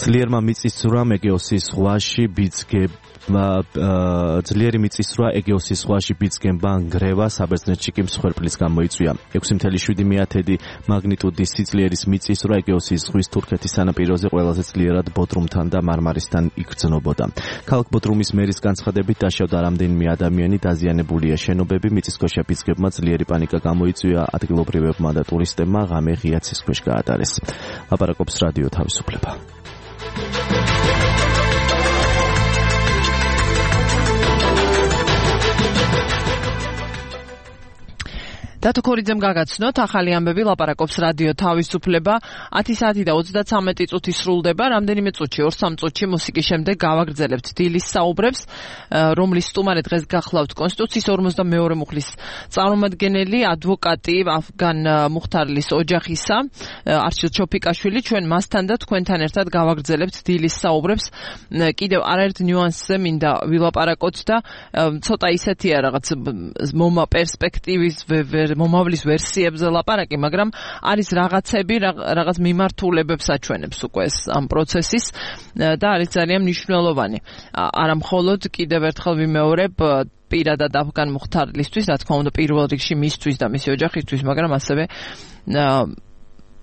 ძლიერმა მიწისძვრამ ეგეოსის ზღვაში ბიძგემბა ნგრევა საბერძნეთში კი მსხვერპლის გამოიწვია. 6.7 მაგნიტუდის სიძლიერის მიწისძვრა ეგეოსის ზღვის თურქეთის სანაპიროზე ყველაზე ძლიერად ბოდრუმთან და მარმარისთან იგრძნობოდა. ქალაქ ბოდრუმის მერის განცხადებით დაშავდა რამდენიმე ადამიანი, დაზიანებულია შენობები, მიწისქვეშა ბიძგებმა ძლიერი პანიკა გამოიწვია, ადგილობრივებმა და ტურისტებმა ღამე ღია ცის ქვეშ გაატარეს. ლაპარაკობს რადიო თავისუფლება. დათო ქორიძემ გაგაცნოთ ახალი ამბები ლაპარაკობს რადიო თავისუფლება 10 საათი და 33 წუთი სრულდება რამდენიმე წუთში 2-3 წუთში მუსიკის შემდეგ გავაგრძელებთ დილის საუბრებს რომლის სტუმარი დღეს გახლავთ კონსტიტუციის 42 მუხლის წარმომადგენელი ადვოკატი ავგან მუხთარლის ოჯახისა არჩილ ჩოფიკაშვილი ჩვენ მასთან და თქვენთან ერთად გავაგრძელებთ დილის საუბრებს კიდევ არაერთ ნიუანსზე მინდა ვილაპარაკოთ და ცოტა ისეთია რაღაც მომა პერსპექტივის მომავლის ვერსიებზე ლაპარაკი, მაგრამ არის რაღაცები, რაღაც მიმართულებებს აჩვენებს უკვე ამ პროცესის და არის ძალიან მნიშვნელოვანი. არა მხოლოდ კიდევ ერთხელ ვიმეორებ პირადად ავგან მუხთარლისთვის, რა თქმა უნდა პირველ რიგში მისთვის და მისი ოჯახისთვის, მაგრამ ასევე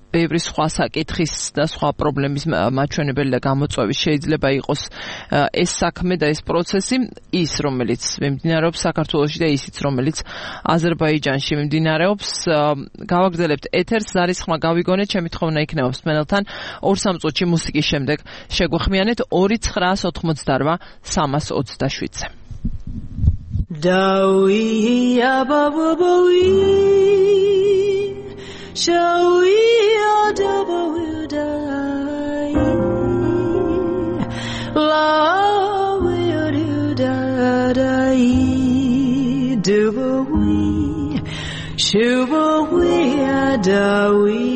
ბევრი სხვა საკითხის და სხვა პრობლემის მაჩვენებელი და გამოწვევის შეიძლება იყოს ეს საქმე და ეს პროცესი, ის რომელიც მიმდინარეობს საქართველოში და ისიც რომელიც აზერბაიჯანში მიმდინარეობს. გავაგრძელებთ ეთერს, არის ხმა გავიგონეთ, ჩემი თხოვნა იქნება მსმენელთან 2-3 წუთში მუსიკის შემდეგ შეგვეხმიანეთ 2988 327-ზე. Dawi ababawi shawi adabawi dai lawi dai dubawi shubawi adawi.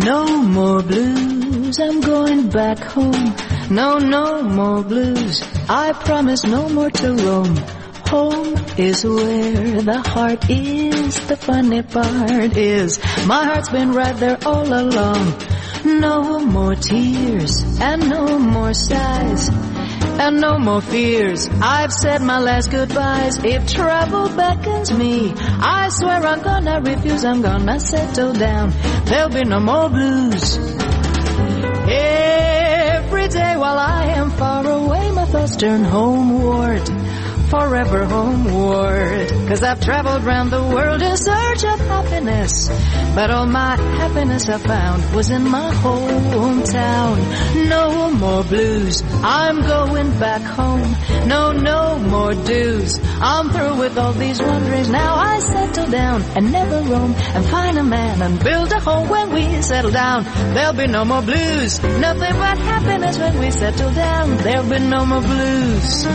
No more blues, I'm going back home. No more blues, I promise no more to roam. Home is where the heart is, the funny part is my heart's been right there all along. No more tears and no more sighs and no more fears. I've said my last goodbyes. If trouble beckons me, I swear I'm gonna refuse. I'm gonna settle down. There'll be no more blues. Every day while I am far away, my thoughts turn homeward, forever homeward. 'Cause I've traveled round the world in search of happiness, but all my happiness I found was in my hometown. No more blues, I'm going back home. No more dues, I'm through with all these wanderings. Now I settle down and never roam, and find a man and build a home. When we settle down, there'll be no more blues. Nothing but happiness when we settle down. There'll be no more blues.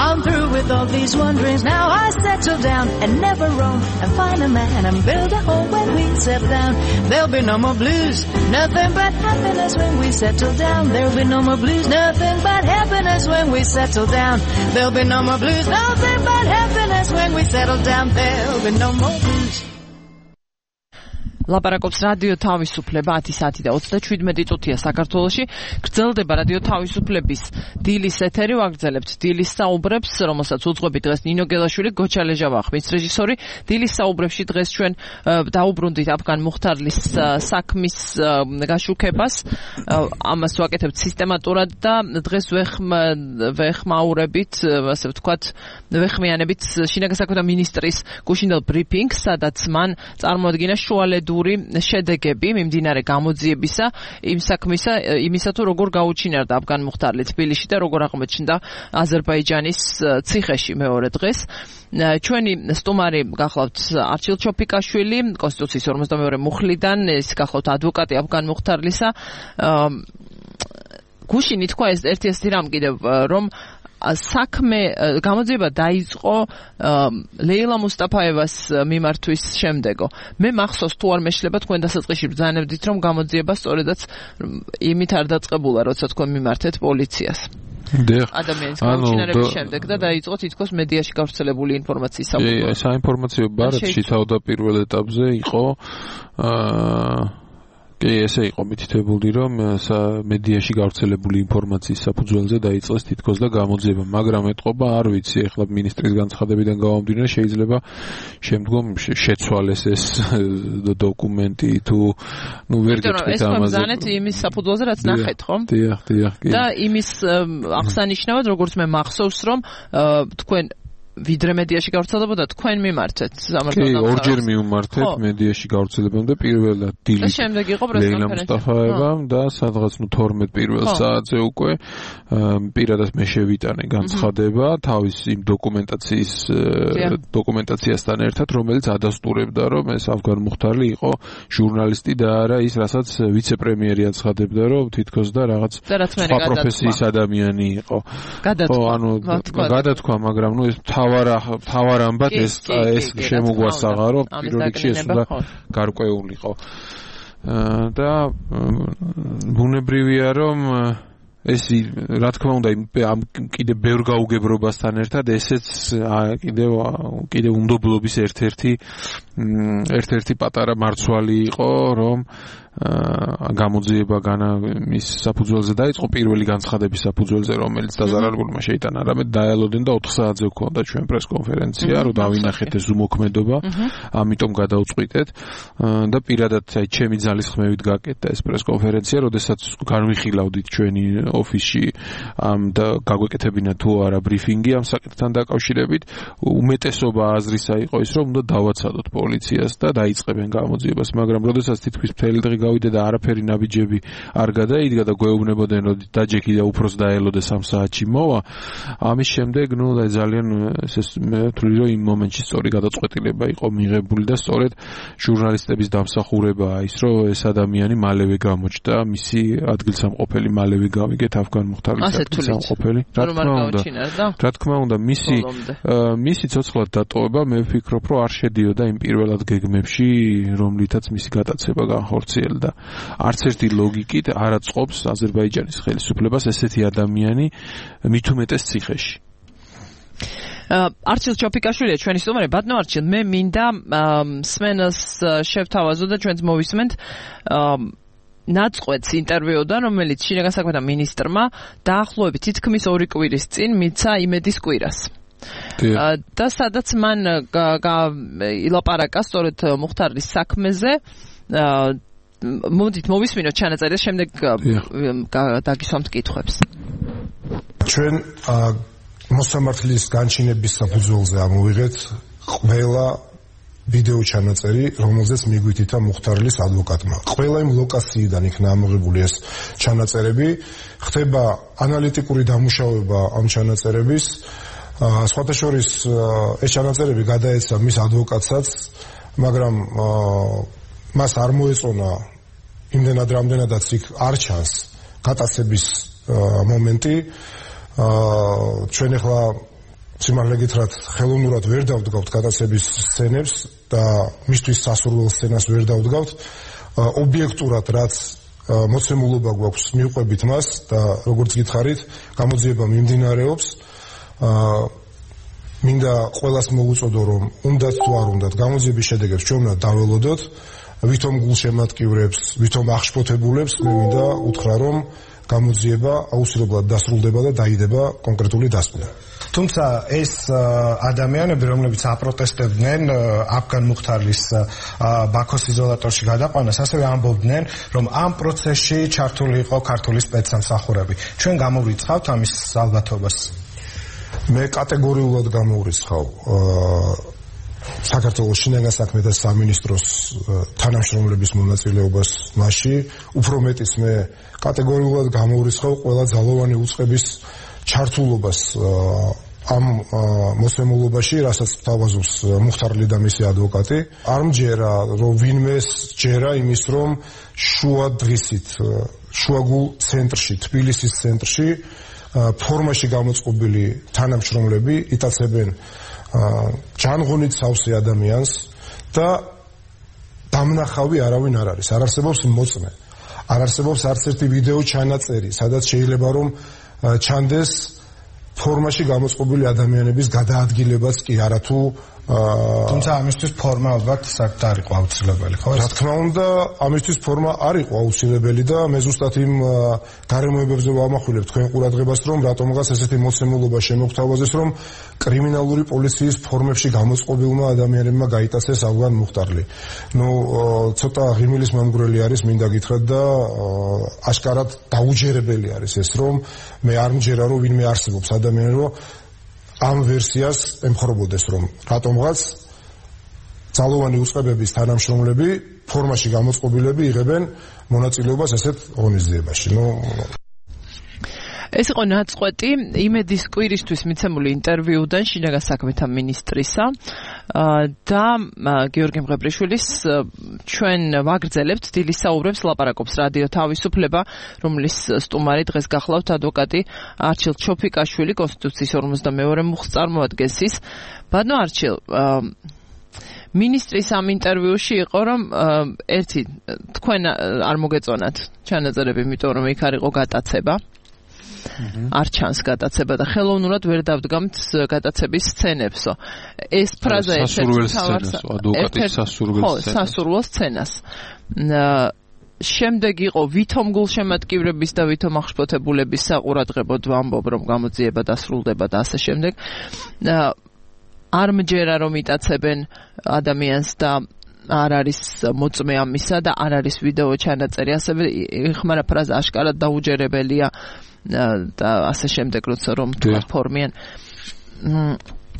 I'm through with all these wanderings. Now I settle down and never roam, and find a man and build a home. When we settle down, there'll be no more blues. Nothing but happiness when we settle down. There'll be no more blues. Nothing but happiness when we settle down. There'll be no more blues. Nothing but happiness when we settle down. There'll be no more blues. ლაპარაკობს რადიო თავისუფლება 10 საათი და 37 წუთია საქართველოში. გრძელდება რადიო თავისუფლების დილის ეთერი, ვაგრძელებთ დილის საუბრებს, რომელსაც უძღვებით დღეს ნინო გელაშვილი, გოჩა ლეჟავა ხმის რეჟისორი. დილის საუბრებში დღეს ჩვენ დაუბრუნდით აფგან მუხტარლის საქმის გაშუქებას. ამას ვაკეთებთ სისტემატურად და დღეს ვეხმაურებით, ასე ვთქვათ, ვეხმიანებით შინაგან საქმეთა მინისტრის გუშინდელ ბრიფინგს, სადაც მან წარმოადგინა შუალედური შედეგები მიმდინარე გამოძიებისა იმ საქმისა, იმისა თუ როგორ გაუჩინარდა აფგან მუხტარლი თბილისში და როგორ აღმოჩნდა აზერბაიჯანის ციხეში მეორე დღეს. ჩვენი სტუმარი გახლავთ არჩილ ჩოფიკაშვილი, კონსტიტუციის 52 მუხლიდან, ეს გახლავთ ადვოკატი აფგან მუხტარლისა. გუშინი თქვა ეს ერთი რამ კიდევ, რომ საქმე გამოძიება დაიწყო ლეილა მუსტაფაევას მიმართვის შემდეგო. მე მახსოვს თუ არ მეშლება თქვენ დასაწყისში ბრძანებდით რომ გამოძიება სწორედაც იმით არ დაწყებულა, როცა თქვენ მიმართეთ პოლიციას. ადამიანის გაუჩინარების შემდეგ და დაიწყო თითქოს მედიაში გავრცელებული ინფორმაციის საინფორმაციო ბარათში თავდაპირველ ეტაპზე იყო კი, ესე იყო მითითებული, რომ მედიაში გავრცელებული ინფორმაციის საფუძველზე დაიწყეს თითქოს და გამოძიება, მაგრამ ეთყობა, არ ვიცი, ეხლა მინისტრის განცხადებიდან გამომდინარე, შეიძლება შემდგომ შეცვალეს ეს დოკუმენტი თუ ვერ გეტყვით ამაზე. ეს მზანეთ იმის საფუძველზე, რაც ნახეთ, ხო? დიახ, კი. და იმის აღსანიშნავად, როგორც მე მახსოვს, რომ თქვენ ვიდრე მედიაში გავრცელებოდა თქვენ მიმართეთ სამართალდამცავ. კი, ორჯერ მიმართეთ მედიაში გავრცელებამდე პირველად დილით. და შემდეგ იყო პრესკონფერენცია. ლეილა მუსტაფაევამ და სადღაც 12 პირველ საათზე უკვე პირადად მე შევიტანე განცხადება თავის იმ დოკუმენტაციასთან ერთად, რომელიც ადასტურებდა, რომ ეს ავგან მუხტარლი იყო ჟურნალისტი და არა ის, რასაც ვიცე-პრემიერი აცხადებდა, რომ თითქოს და რაღაც სხვა პროფესიის ადამიანი იყო. გადათქვა, მაგრამ ნუ ეს თავარ ამბად ეს შემოგვასაღა, რომ პირველ რიგში ეს უნდა გარკვეულიყო. და ბუნებრივია, რომ ეს რა თქმა უნდა ამ კიდე ბევრ გაუგებრობასთან ერთად ესეც კიდე უნდობლობის ერთ-ერთი პატარა მარცვალი იყო, რომ გამოძიება მის საფუძველზე დაიწყო პირველი განცხადების საფუძველზე, რომელიც დაზარალებულმა შეიტანა. არამედ დაელოდენ და 4 საათზე გვქონდა ჩვენ პრესკონფერენცია, რომ დავინახეთ ეს ზუმოქმედობა, ამიტომ გადავწყვიტეთ და პირადად ჩემი ძალის ხმევით გაკეთდა ეს პრესკონფერენცია, როდესაც განვიხილავდით ჩვენი ოფისში და გაგვეკეთებინა თუ არა ბრიფინგი ამ საკითხთან დაკავშირებით. უმეტესობა აზრისა იყო ის, რომ უნდა დავაცადოთ პოლიციას და დაიწყებენ გამოძიებას, მაგრამ როდესაც თითქმის მთელი დღე გავიდა და არაფერი ნაბიჯები არ გადაიდგა და გვეუბნებოდნენ, რომ დაჯექი და უფროს დაელოდე 3 საათში მოვა. ამის შემდეგ, ძალიან მე ვთვლი, რომ იმ მომენტში სწორი გადაწყვეტილება იყო მიღებული და სწორედ ჟურნალისტების დამსახურებაა ის, რომ ეს ადამიანი მალევე გამოჩნდა, მისი ადგილსამყოფელი მალევე გავიგეთ ავგან მუხტარლის ადგილსამყოფელი. რა თქმა უნდა, მისი ცოცხლად დატოვება მე ვფიქრობ, რომ არ შედიოდა იმ პირველად გეგმებში, რომლითაც მისი გატაცება განხორციელდა. არც ერთი ლოგიკით არ აწყობს აზერბაიჯანის ხელისუფლებას ესეთი ადამიანი მით უმეტეს ციხეში. არჩილ ჩოფიკაშვილია ჩვენი სტუმარი. ბატონო არჩილ, მე მინდა სმენას შევთავაზო და ჩვენც მოვისმენთ ნაწყვეტს ინტერვიუდან, რომელიც შინაგან საქმეთა მინისტრმა დაახლოებით თითქმის 2 კვირის წინ მიცა იმედის კვირას. და სადაც მან ილაპარაკა სწორედ მუხტარლის საქმეზე. მოდით მოვისმინოთ ჩანაწერი და შემდეგ დაგისვამთ კითხვებს. ჩვენ მოსამართლის განჩინების საფუძველზე ამოვიღეთ ყველა ვიდეო ჩანაწერი, რომელზეც მიგვითითა მუხტარლის ადვოკატმა. ყველა იმ ლოკაციიდან იქნა ამოღებული ეს ჩანაწერები, ხდება ანალიტიკური დამუშავება ამ ჩანაწერების. სხვათა შორის ეს ჩანაწერები გადაეცა მის ადვოკატსაც, მაგრამ მას არ მოეწონა იმდენად რამდენადაც იქ არ ჩანს გატაცების მომენტი. ჩვენ ახლა სიმართლე გითხრათ, ხელოვნურად ვერ დავდგავთ გატაცების სცენებს და მისთვის სასურველ სცენას ვერ დავდგავთ. ობიექტურად რაც მოცემულობა გვაქვს მივყვებით მას და როგორც გითხარით, გამოძიება მიმდინარეობს. მინდა ყველას მოვუწოდო, რომ უნდათ თუ არ უნდათ გამოძიების შედეგებს ჩვენ უნდა დაველოდოთ. ვითომ გულშემატკივრებს, ვითომ აღშფოთებულებს მე მინდა უთხრა, რომ გამოძიება აუცილებლად დასრულდება და დაიდება კონკრეტული დასკვნა. თუმცა ეს ადამიანები, რომლებიც აპროტესტებდნენ ავგან მუხტარლის ბაქოს იზოლატორში გადაყვანას, ასევე ამბობდნენ, რომ ამ პროცესში ჩართული იყო ქართული სპეცსამსახურები. ჩვენ გამოვიწყავთ ამის ალბათობას. მე კატეგორიულად გამოვიწყავ საქართველოს შინაგან საქმეთა სამინისტროს თანამშრომლების მონაწილეობას მასში. უფრო მეტიც მე კატეგორიულად გამოვიწყავ ყველა ძალოვანი უწყების ჩართულობას ამ მოსემულობაში, რასაც თავაზობს მუხტარლი და მისი ადვოკატი. არ მჯერა, რომ ვინმე ჯერა იმის, რომ შუა დღისით, შუაგულ ცენტრში, თბილისის ცენტრში ფორმაში გამოწყობილი თანამშრომლები იტაცებენ ჯანღონით სავსე ადამიანს და დამნახავი არავინ არ არის. არ არსებობს მოწმე. არ არსებობს არც ერთი ვიდეო ჩანაწერი, სადაც შეიძლება რომ ჩანდეს ფორმაში გამოწყობილი ადამიანების გადაადგილებაც კი არა თუ თუმცა ამისთვის ფორმა ალბათ საერთოდ არ იყო აუცილებელი, ხო? რა თქმა უნდა, ამისთვის ფორმა არ იყო აუცილებელი და მე ზუსტად იმ გარემოებებზე ვამახვილებ თქვენ ყურადღებას, რომ რატომღაც ესეთი მოცემულობა შემოგთავაზეს, რომ კრიმინალური პოლიციის ფორმებში გამოწყობილმა ადამიანებმა გაიტაცეს ავგან მუხტარლი. ნუ ცოტა ღიმილის მომგვრელი არის, მინდა გითხრათ და აშკარად დაუჯერებელი არის ეს, რომ მე არ მჯერა, რომ ვინმე არსებობს ადამიანი, რომ ამ ვერსიას ემხრობოდეს, რომ რატომღაც ძალოვანი უწყებების თანამშრომლები ფორმაში გამოწყობილები იღებენ მონაწილეობას ესეთ ღონისძიებაში. ეს იყო ნაწყვეტი იმედის კვირისთვის მიცემული ინტერვიუდან შინაგან საქმეთა მინისტრისა და გიორგი მღებრიშვილის ჩვენ ვაგრძელებთ დილის საუბრებს ლაპარაკობს რადიო თავისუფლება, რომლის სტუმარი დღეს გახლავთ ადვოკატი არჩილ ჩოფიკაშვილი, კონსტიტუციის 52 მუხლს წარმოადგენს ის. ბატონო არჩილ, ministris am interviuში იყო რომ ერთი თქვენ არ მოგეწონათ ჩანაწერები, იმიტომ რომ იქ არ იყო გატაცება. არ ჩანს გატაცება და ხელოვნურად ვერ დავდგამთ გატაცების სცენებსო. ეს ფრაზა ადვოკატის სასურველ სცენას. შემდეგ იყო ვითომ გულშემატკივრების და ვითომ აღშფოთებულების საყურადღებოდ ვამბობ, რომ გამოძიება დასრულდება და ასე შემდეგ. არ მჯერა რომ იტაცებენ ადამიანს და არ არის მოწმე ამისა და არ არის ვიდეო ჩანაწერი, ასევე იხმარა ფრაზა აშკარად დაუჯერებელია და ასე შემდეგ, როცა რომ თქვა ფორმიან.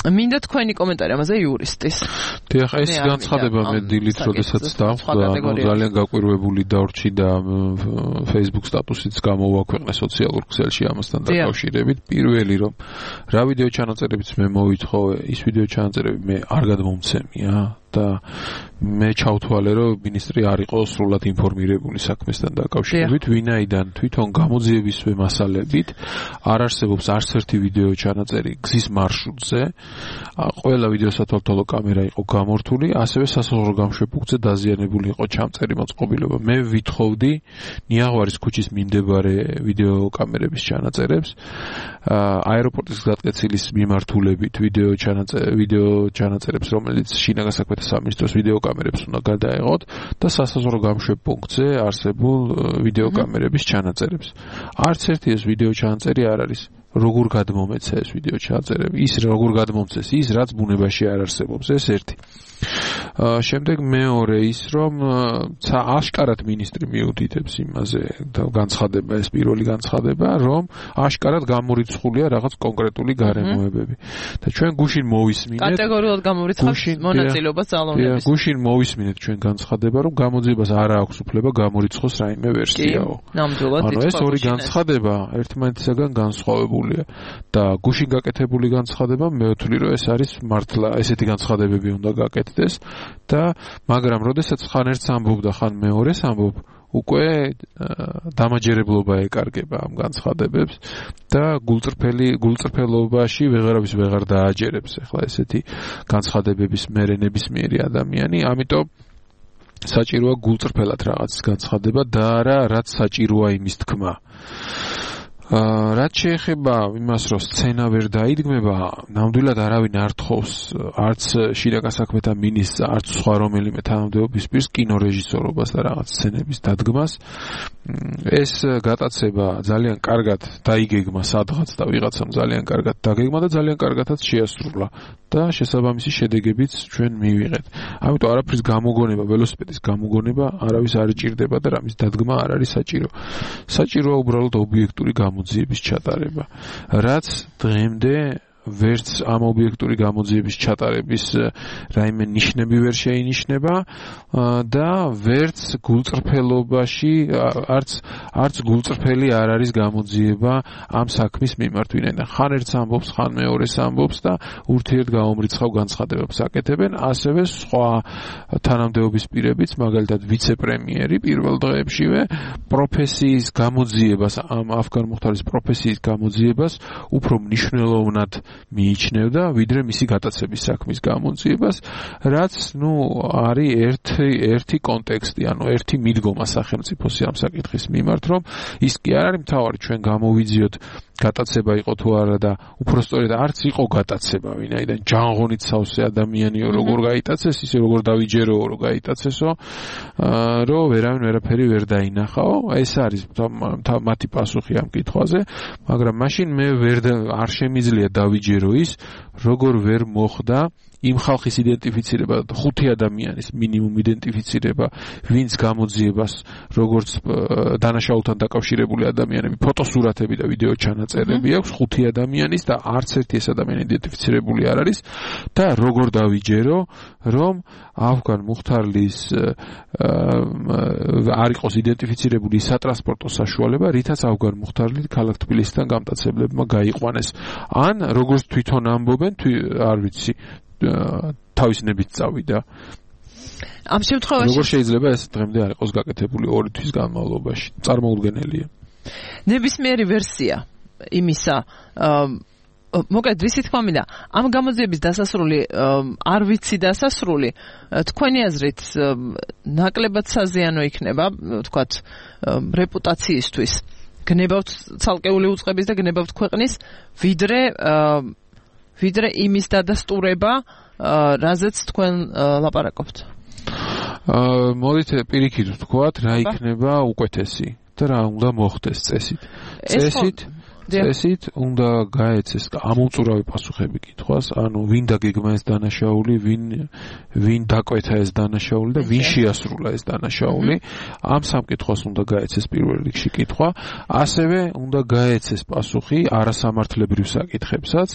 მინდა თქვენი კომენტარი ამაზე იურისტის. დიახ, ეს განცხადება მე დილით როდესაც დავხვდა, ძალიან გაკვირვებული დავრჩი და Facebook სტატუსიც გამოვაქვეყნე სოციალურ ქსელში ამასთან დაკავშირებით. პირველი რომ რა ვიდეო ჩანაწერებიც მე მოვითხოვე, ის ვიდეო ჩანაწერები მე არ გადმომცემია და მე ჩავთვალე, რომ მინისტრი არ იყო სრულად ინფორმირებული საქმესთან დაკავშირებით, ვინაიდან თვითონ გამოძიებისვე მასალებით არ არსებობს არც ერთი ვიდეო ჩანაწერი გზის მარშრუტზე, ყველა ვიდეო სათვალთვალო კამერა იყო გამორთული, ასევე სასაზღვრო გამშვებუხზე დაზიანებული იყო ჩამწერი მოწყობილობა. მე ვითხოვდი ნიაღვარის ქუჩის მიმდებარე ვიდეო კამერების ჩანაწერებს, აეროპორტის გადაწყეცილის მიმართულებით ვიდეო ჩანაწერებს, რომელიც შინაგან საქმეთა სამინისტროს ვიდეო კამერებს უნდა გადაეღოთ და სასაზღვრო გამშვებუხზე არსებულ ვიდეო კამერების ჩანაწერებს. არც ერთი ეს ვიდეო ჩანაწერი არ არის. როგორ გადმომეცა ეს ვიდეო ჩანაწერები? ის როგორ გადმომცეს ის, რაც ბუნებაში არ არსებობს, ეს ერთი. შემდეგ მეორე ის, რომ აშკარად მინისტრი მიუთითებს იმაზე და განცხადება, ეს პირველი განცხადება, რომ აშკარად გამორიცხულია რაღაც კონკრეტული გარემოებები. და ჩვენ გუშინ მოვისმინეთ კატეგორიულად გამორიცხავს მონაწილეობას ძალოვნების. გუშინ მოვისმინეთ ჩვენ განცხადება, რომ გამოძიებას არ აქვს უფლება გამორიცხოს რაიმე ვერსიაო. ნამდვილად ანუ ეს ორი განცხადება ერთმანეთისაგან განსხვავებულია და გუშინ გაკეთებული განცხადება მე ვთვლი, რომ ეს არის მართლა ესეთი განცხადებები უნდა გაკეთდეს და მაგრამ როდესაც ხან ერთს ამბობ და ხან მეორეს ამბობ, უკვე დამაჯერებლობა ეკარგება ამ განცხადებებს და გულწრფელობაში ვეღარავის ვეღარ დააჯერებს ახლა ესეთი განცხადებების მერენებისმიერი ადამიანი, ამიტომ საჭიროა გულწრფელად რაღაც განცხადება და არა რაც საჭიროა იმის თქმა. რაც შეეხება იმას, რომ სცენა ვერ დაიდგმება, ნამდვილად არავინ არ თხოვს არც შინაგან საქმეთა მინისტრს, არც სხვა რომელიმე თანამდებობის პირს კინორეჟისორობას და რაღაც სცენების დადგმას. ეს გატაცება ძალიან კარგად დაიგეგმა სადღაც და ვიღაცამ ძალიან კარგად დაგეგმა და ძალიან კარგადაც შეასრულა და შესაბამისი შედეგებიც ჩვენ მივიღეთ. ამიტომ არაფრის გამოგონება, ველოსიპედის გამოგონება არავის არ იჭირდება და რამის დადგმა არ არის საჭირო. საჭიროა უბრალოდ ობიექტური გამოძიების ჩატარება. რაც დღემდე ვერც ამ ობიექტური გამოძიების ჩატარების რაიმე ნიშნები ვერ შეინიშნება და ვერც გულწრფელობაში არც გულწრფელი არ არის გამოძიება ამ საქმის მიმართ, ვინაიდან ხან ერთს ამბობს, ხან მეორეს ამბობს და ურთიერთ გაომრიცხავ განცხადებებს აკეთებენ, ასევე სხვა თანამდებობის პირებიც, მაგალითად ვიცე-პრემიერი პირველ დღეებშივე პროფესიის გამოძიებას, ამ ავგან მუხტარის პროფესიის გამოძიებას უფრო მნიშვნელოვნად მიიჩნევდა ვიდრე მისი გატაცების საქმის გამოძიებას, რაც არის ერთი კონტექსტი, ანუ ერთი მიდგომა სახელმწიფოს ამ საკითხის მიმართ, რომ ის კი არ არის მთავარი ჩვენ გამოვიძიოთ გატაცება იყო თუ არა და უпростоრედ არც იყო გატაცება, ვინაიდან ჯანღონით სავსე ადამიანიო როგორ გაიტაცეს, ისე როგორ დავიჯეროო რომ გაიტაცესო, რომ ვერაფერი ვერ დაინახაო. ეს არის მათი პასუხი ამ კითხვაზე, მაგრამ მაშინ მე არ შემიძლია დავიჯერო ის, როგორ ვერ მოხდა იმ ხალხის იდენტიფიცირება, 5 ადამიანის მინიმუმ იდენტიფიცირება, ვინც გამოძიებას, როგორც დანაშაულთან დაკავშირებული ადამიანები, ფოტოსურათები და ვიდეო ჩანაწერები აქვს 5 ადამიანის და არც ერთი ეს ადამიანი იდენტიფიცირებული არ არის და როგორ დავიჯერო, რომ ავგან მუხთარლის არ იყოს იდენტიფიცირებული სატრანსპორტო საშუალება, რითაც ავგან მუხთარლი ქალაქ თბილისიდან გამტაცებლებმა გაიყვანეს. ან როგორც თვითონ ამბობენ, არ ვიცი თავის ნებით წავიდა. ამ შემთხვევაში როგორ შეიძლება ეს დღემდე არ იყოს გაკეთებული 2 თვის განმავლობაში? წარმოუდგენელია. ნებისმიერი ვერსია იმისა, მოკლედ რისი თქმა მინდა, ამ გამოძიების დასასრული არ ვიცი დასასრული, თქვენი აზრით ნაკლებად საზიანო იქნება, თქვათ, რეპუტაციისთვის. გნებავთ ცალკეული უწყების და გნებავთ ქვეყნის, ვიდრე იმის დადასტურება, რაზეც თქვენ ლაპარაკობთ. მოდით პირიქით ვთქვათ, რა იქნება უკეთესი და რა უნდა მოხდეს წესით უნდა გაეცეს ამოუწურავი პასუხები კითხვას, ანუ ვინ დაგეგმა ეს დანაშაული, ვინ დაკვეთა ეს დანაშაული და ვინ შეასრულა ეს დანაშაული. ამ სამ კითხვას უნდა გაეცეს პირველ რიგში კითხვა, ასევე უნდა გაეცეს პასუხი არასამართლებრივ საკითხებსაც,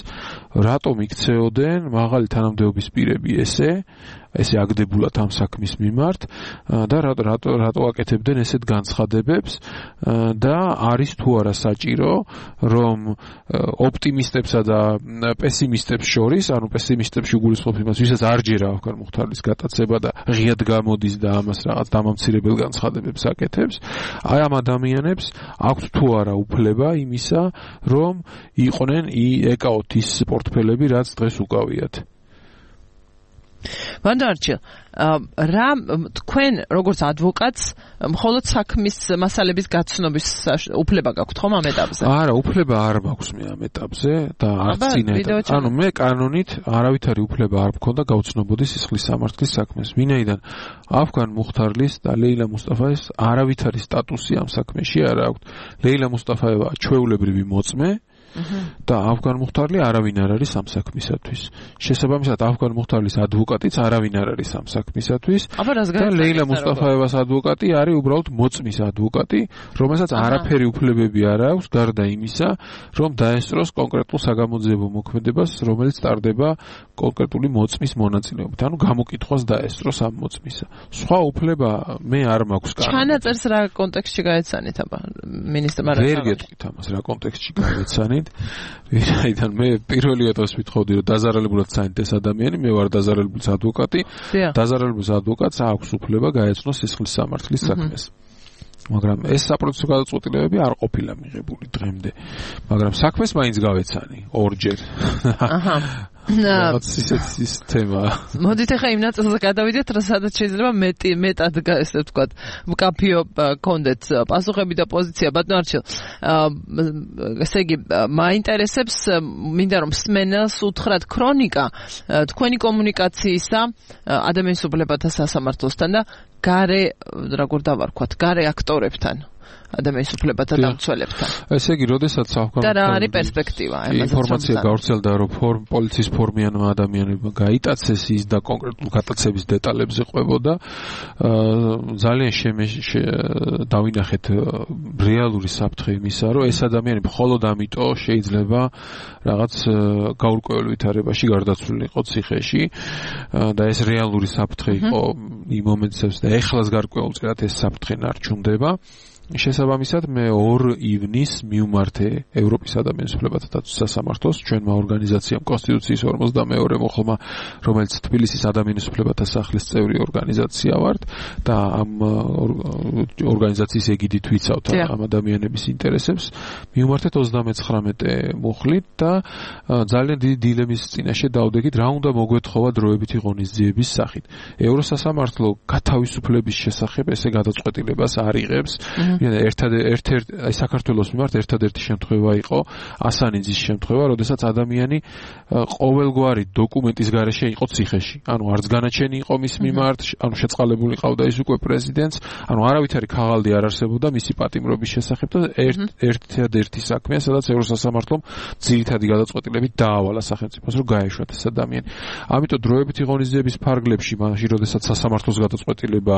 რატომ იქცეოდენ მაღალი თანამდებობის პირები ესე აგდებულად ამ საქმის მიმართ და რატო აკეთებდნენ ესეთ განცხადებებს და არის თუ არა საჭირო, რომ ოპტიმისტებსა და პესიმისტებს შორის, ანუ პესიმისტებში უგულისხმობ იმას, ვისაც არ ჯერა ავგან მუხთარლის გატაცება და ღიად გამოდის და ამას რაღაც დამამცირებელ განცხადებებს აკეთებს, აი ამ ადამიანებს აქვთ თუ არა უფლება იმისა, რომ იყვნენ ეკაოთ ის პორტფელები, რაც დღეს უკავიათ. ვანდარჩილ, რა თქვენ როგორც ადვოკატს მხოლოდ საქმის მასალების გაცნობის უფლება გაქვთ ხომ ამ ეტაპზე? არა, უფლება არ მაქვს მე ამ ეტაპზე და არც წინ ეტაპზე. ანუ მე კანონით არავითარი უფლება არ მქონდა გავცნობოდი სისხლის სამართლის საქმეს. ვინაიდან ავგან მუხთარლის და ლეილა მუსტაფაის არავითარი სტატუსი ამ საქმეში არ აქვს. ლეილა მუსტაფაევა ჩვეულებრივი მოწმე და ავგან მუხთარლი არავინ არ არის ამ საქმისათვის. შესაბამისად ავგან მუხთარლის ადვოკატიც არავინ არ არის ამ საქმისათვის. და ლეილა მუსტაფაევას ადვოკატი არის უბრალოდ მოწმის ადვოკატი, რომელსაც არაფერი უფლებები არ აქვს გარდა იმისა, რომ დაესწროს კონკრეტულ საგამოძიებო მოქმედებას, რომელიც ტარდება კონკრეტული მოწმის მონაწილეობით. ანუ გამოკითხვას დაესწროს ამ მოწმისა. სხვა უფლება მე არ მაქვს კანონით. ჩანაწერს რა კონტექსტში გაეცანით აბა მინისტრმა? ვერ გეტყვით ამას რა კონტექსტში გაეცანით. ვინაიდან მე პირველი ეტაპს ვთხოვდი, რომ დაზარალებულად საინტერესო ეს ადამიანი, მე ვარ დაზარალებულის ადვოკატი. დაზარალებულის ადვოკატს აქვს უფლება გაეცნოს სისხლის სამართლის საქმეს. მაგრამ ეს საპროცესო გადაწყვეტილებები არ ყოფილა მიღებული დღემდე. მაგრამ საქმეს მაინც გავეცანი ორჯერ. აჰა. ის თემა. მოდით ახლა იმ ნაწილზე გადავიდეთ, სადაც შეიძლება მეტად ესე ვთქვათ, მკაფიო კონდეთ პასუხები და პოზიცია. ბატონ არჩილ, ესე იგი, მაინტერესებს, მინდა რომ სმენელს უთხრათ ქრონიკა თქვენი კომუნიკაციისა ადამიანის უფლებათა სასამართლოსთან და გარე, როგორ დავარქვათ, გარე აქტორებთან. ადამიანის უფლებათა დამცველებთან. ესე იგი, როდესაც და რა არის პერსპექტივა? ინფორმაცია გავრცელდა, რომ პოლიციის ფორმიანმა ადამიანებმა გაიტაცეს ის და კონკრეტულ გატაცების დეტალებზე ყვებოდა. ძალიან დავინახეთ რეალური საფრთხე იმისა, რომ ეს ადამიანები მხოლოდ ამიტომ შეიძლება რაღაც გაურკვეველ ვითარებაში გარდაცვლილი იყო ციხეში და ეს რეალური საფრთხე იყო იმ მომენტებში და ეხლას გარკვეულწილად ეს საფრთხე ნარჩუნდება. შესაბამისად მე 2 ივნისს მივმართე ევროპის ადამიანის უფლებათა დაცვის სასამართლოს, ჩვენმა ორგანიზაციამ კონსტიტუციის 52 მოხელმა, რომელიც თბილისის ადამიანის უფლებათა სახლის წევრი ორგანიზაცია ვართ და ამ ორგანიზაციის ეგიდით ვიცავთ ამ ადამიანების ინტერესებს. მივმართეთ 39 მუხლით და ძალიან დიდი დილემის წინაშე დავდექით, რა უნდა მოგვეთხოვა დროებითი ღონისძიების სახით. ევროსასამართლო გათავისუფლების შესახებ ესე გადაწყვეტილებას არ იღებს. ერთ-ერთი აი საქართველოს მიმართ ერთადერთი შემთხვევა იყო ასანიძის შემთხვევა, როდესაც ადამიანი ყოველგვარი დოკუმენტის გარეშე იყო ციხეში. ანუ არც განაჩენი იყო მის მიმართ, ანუ შეწყალებული ყავდა ის უკვე პრეზიდენტს, ანუ არავითარი ქაღალდი არ არსებობდა მისი პატიმრობის შესახებ და ერთადერთი საქმეა, სადაც ევროსასამართლომ ძირითადი გადაწყვეტილებით დაავალა სახელმწიფოს, რომ გაეშვათ ეს ადამიანი. ამიტომ დროებითი ღონისძიების ფარგლებში, მაშინ როდესაც სასამართლოს გადაწყვეტილება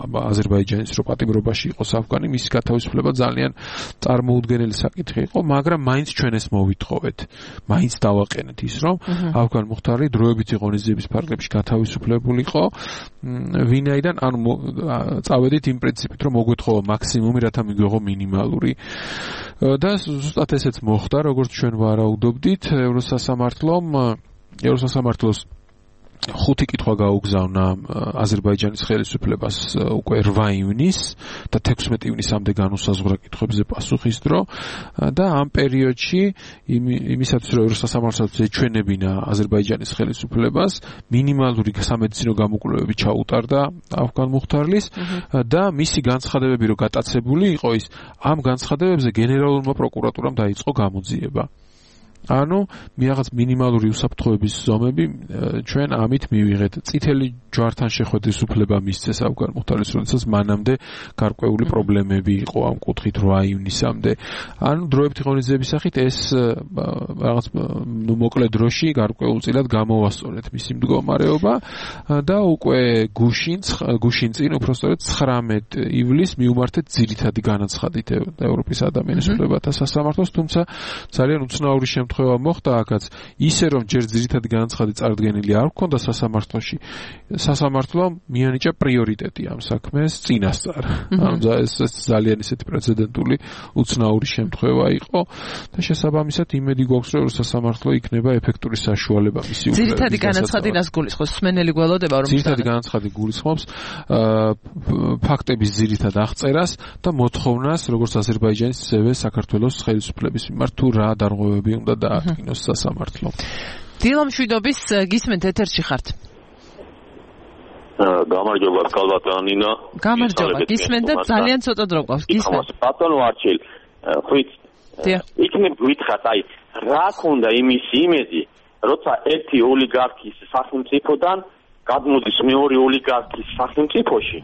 აზერბაიჯანის რო პატიმრობაში იყოს ავგანი, მისი გათავისუფლება ძალიან წარმოუდგენელი საკითხი იყო, მაგრამ მაინც ჩვენ ეს მოვითხოვეთ. მაინც დავაყენეთ ის, რომ ავგან მუხტარი დროებითი ღონისძიების ფარგლებში გათავისუფლებულიყო, ვინაიდან ანუ წავედით იმ პრინციპით, რომ მოგვეთხოვა მაქსიმუმი, რათა მიგვიღო მინიმალური. და ზუსტად ესეც მოხდა, როგორც ჩვენ ვარაუდობდით, ევროსასამართლოს 5 კითხვა გაუგზავნა აზერბაიჯანის ხელისუფლებას უკვე 8 ივნის და 16 ივნისამდე განუსაზღვრა კითხვებზე პასუხის დრო და ამ პერიოდში იმისათვის რომ ევროსასამართლოს ეჩვენებინა აზერბაიჯანის ხელისუფლებას მინიმალური სამედიცინო გამოკვლევები ჩაუტარდა ავგან მუხტარლის და მისი განცხადებები რომ გატაცებული იყო ის ამ განცხადებებზე გენერალურმა პროკურატურამ დაიწყო გამოძიება. ანუ რაღაც მინიმალური უსაფრთხოების ზომები ჩვენ ამით მივიღეთ. წითელი ჯვართან შეხვედრის უფლება მისცეს ავგან მუხტარლის, როდესაც მანამდე გარკვეული პრობლემები იყო ამ კუთხით 8 ივნისამდე. ანუ დროებითი ღონისძიების სახით ეს რაღაც მოკლე დროში გარკვეულწილად გამოვასწორეთ მისი მდგომარეობა და უკვე გუშინ წინ უпростоრედ 19 ივლისს მიუმართეთ ძირითადი განაცხადით ევროპის ადამიანის უფლებათა სასამართლოს, თუმცა ძალიან უცნაური შემთხვევა მოხდა აქაც ისე რომ ჯერ ძირითადი განაცხადი წარდგენილი არ ჰქონდა სასამართლოში, სასამართლომ მიანიჭა პრიორიტეტი ამ საქმეს წინასწარ. ანუ ეს ძალიან ისეთი პრეცედენტული უცნაური შემთხვევა იყო და შესაბამისად იმედი გვაქვს რომ სასამართლო იქნება ეფექტური საშუალება მისი უფლებების. ძირითადი განაცხადი რას გულისხმობს? სმენელი გველოდება რომ ძირითადი განაცხადი გულისხმობს ფაქტების ძირითად აღწერას და მოთხოვნას როგორც აზერბაიჯანის ისევე საქართველოს ხელისუფლების მიმართ თუ რა დარღვევები უნდა დაადგინოს სასამართლომ. დილა მშვიდობის გისმენთ ეთერში ხართ. გამარჯობა კალბატონინა. გამარჯობა. გისმენთ და ძალიან ცოტა დრო გვაქვს. გისმენთ. ბატონო არჩილ, ხვით. იქნებ გითხრათ, აი, რა ქონდა იმის იმედი, როცა ერთი ოლიგარქის სახელმწიფოდან გადმოდის მეორე ოლიგარქის სახელმწიფოში,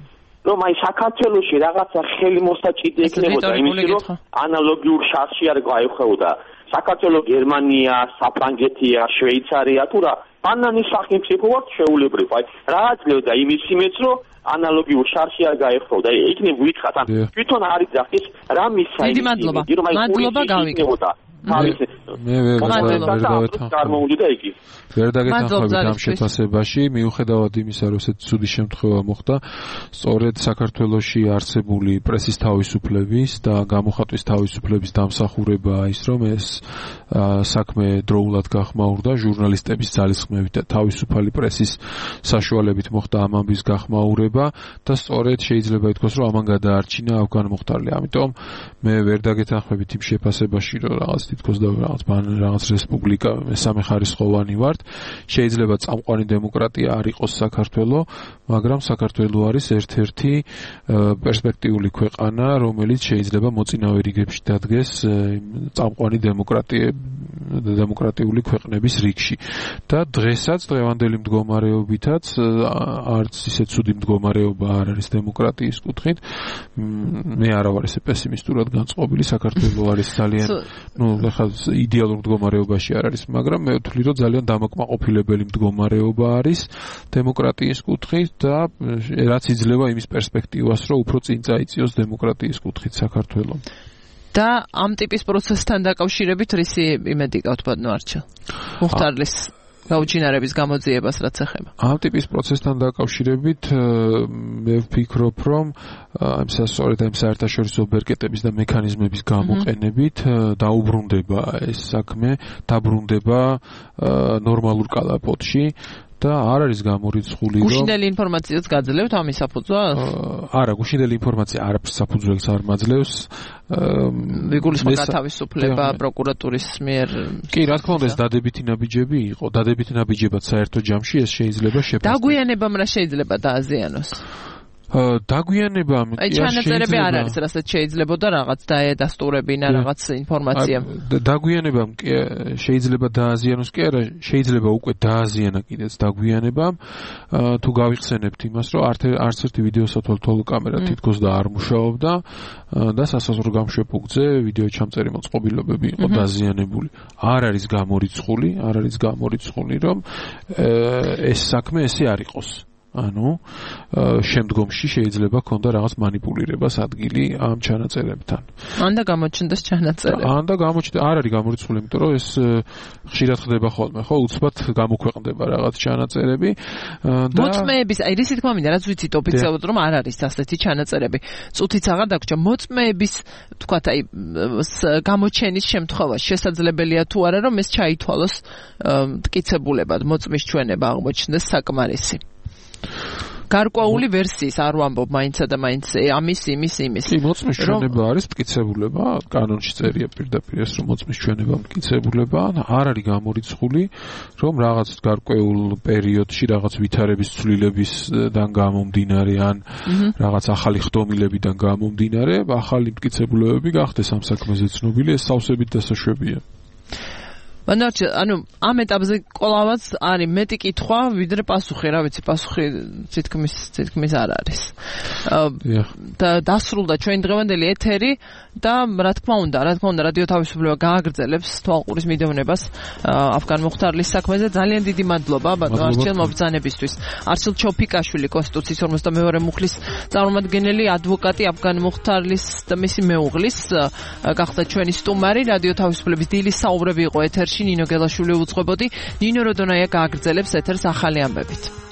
რომ აი საქართველოში რაღაცა ხელმოსაჭიდი ექნებოდა იმის რომ ანალოგიურ შარში არ გაეხვეოდა. საქართველოს, გერმანია, საფრანგეთია, შვეიცარია თუ რა ბანანის სახელმწიფო ვართ შეულებრივ. აი რა აძლევდა იმის იმედს რომ ანალოგიურ შარში არ გაეხვეოდა. იქნებ გითხრათ, ან თვითონ არის ძახის რა მისაი. დიდი მადლობა. მადლობა გავიგებოდა. მე ვერ დაგეთანხმებით ამ შეფასებაში, მიუხედავად იმისა, რომ ესეთი ცუდი შემთხვევა მოხდა, სწორედ საქართველოში არსებული პრესის თავისუფლების და გამოხატვის თავისუფლების დამსახურებაა ის, რომ ეს საქმე დროულად გახმაურდა, ჟურნალისტების ძალისხმევით და თავისუფალი პრესის საშუალებით მოხდა ამ ამბის გახმაურება და სწორედ შეიძლება ითქვას, რომ ამან გადაარჩინა ავგან მუხტარლი. ამიტომ მე ვერ დაგეთანხმებით იმ შეფასებაში, რომ რაღაც თითქოს და რაღაც რესპუბლიკა მესამე ხარისხოვანი ვართ. შეიძლება წამყვანი დემოკრატია არ იყოს საქართველო, მაგრამ საქართველო არის ერთ-ერთი პერსპექტიული ქვეყანა, რომელიც შეიძლება მოწინავე რიგებში დადგეს წამყვანი დემოკრატიული ქვეყნების რიგში. და დღესაც დღევანდელი მდგომარეობითაც არც ისე ცუდი მდგომარეობა არ არის დემოკრატიის კუთხით. მე არა ვარ ესე პესიმისტურად განწყობილი, საქართველო არის ძალიან ხა იდეალურ მდგომარეობაში არ არის, მაგრამ მე ვთვლი, რომ ძალიან დამაკმაყოფილებელი მდგომარეობა არის დემოკრატიის კუთხით და რაც იძლევა იმის პერსპექტივას, რომ უფრო წინ წაიწიოს დემოკრატიის კუთხით საქართველო. და ამ ტიპის პროცესთან დაკავშირებით რისი იმედი გაქვთ ბატონო არჩილ? მუხტარლის გაუჩინარების გამოძიებას რაც ეხება. ამ ტიპის პროცესთან დაკავშირებით მე ვფიქრობ, რომ სწორედ ამ საერთაშორისო ბერკეტების და მექანიზმების გამოყენებით დაუბრუნდება ეს საქმე, დაბრუნდება ნორმალურ კალაპოტში და არ არის გამორიცხული რომ გუშინდელი ინფორმაციაც გაძლევთ ამის საფუძველს? არა, გუშინდელი ინფორმაცია არაფერს საფუძველს არ მაძლევს. ვიგულისხმობ გათავისუფლება პროკურატურის მიერ. კი, რა თქმა უნდა, ეს დადებითი ნაბიჯები იყო. დადებითი ნაბიჯებად საერთო ჯამში ეს შეიძლება შეფასდეს. დაგვიანებამ რა შეიძლება დააზიანოს? დაგვიანება აი ჩანაწერები არ არის, რასაც შეიძლებოდა რაღაც დაედასტურებინა რაღაც ინფორმაცია. დაგვიანებამ შეიძლება დააზიანოს კი არა, შეიძლება უკვე დააზიანა კიდეც დაგვიანებამ, თუ გავიხსენებთ იმას, რომ არც ერთი ვიდეოსათვალთვალო კამერა თითქოს და არ მუშაობდა და სასაზღვრო გამშვებუხზე ვიდეო ჩამწერი მოწყობილობები იყო დაზიანებული. არ არის გამორიცხული, რომ ეს საქმე ესე არ იყოს. ანუ შემდგომში შეიძლება ქონდა რაღაც манипуლირებას ადგილი ამ ჩანაწერებთან. ან და გამოჩნდეს ჩანაწერები. არ არის გამორიცხული, იმიტომ რომ ეს ხშირად ხდება ხოლმე, ხო, უცბად გამოქვეყნდება რაღაც ჩანაწერები და მოწმეების, აი რისი თქმა მინდა, რაც ვიცით ოფიციალურად რომ არ არის ასეთი ჩანაწერები. წუთიც აღარ დაგვრჩა, მოწმეების, თქვათ, აი გამოჩენის შემთხვევაში შესაძლებელია თუ არა რომ ეს ჩაითვალოს მტკიცებულებად, მოწმის ჩვენება აღმოჩნდეს საკმარისი. გარკვეული ვერსიის არ ვამბობ მაინცა და მაინც ამის იმის. კი, მოწმის ჩვენება არის მტკიცებულება, კანონში წერია პირდაპირ ეს რომ მოწმის ჩვენება მტკიცებულება, არ არის გამორიცხული, რომ რაღაც გარკვეულ პერიოდში რაღაც ვითარების ცვლილებისგან გამომდინარე ან რაღაც ახალი ხდომილებიდან გამომდინარე, ახალი მტკიცებულებები გახდეს ამ საქმეზე ცნობილი, ეს სავსებით დასაშვებია. ანუ ამ ეტაპზე კვლავაც არის მეტი კითხვა, ვიდრე პასუხი, რა ვიცი, პასუხი თითქმის არ არის. და დასრულდა ჩვენი დღევანდელი ეთერი და რა თქმა უნდა, რადიო თავისუფლება გააგრძელებს თვალყურის მიდევნებას აფგან მუხთარლის საქმეზე. ძალიან დიდი მადლობა ბატონ არჩილ მობრძანებისთვის. არჩილ ჩოფიკაშვილი, კონსტიტუციის 52 მუხლის წარმომადგენელი, ადვოკატი აფგან მუხთარლის და მისი მეუღლის გახდა ჩვენი სტუმარი. რადიო თავისუფლების დილის საუბრები იყო ეთერში. ნინო გელაშვილი უძღვებოდი. ნინო როდონაია გააგრძელებს ეთერს ახალი ამბებით.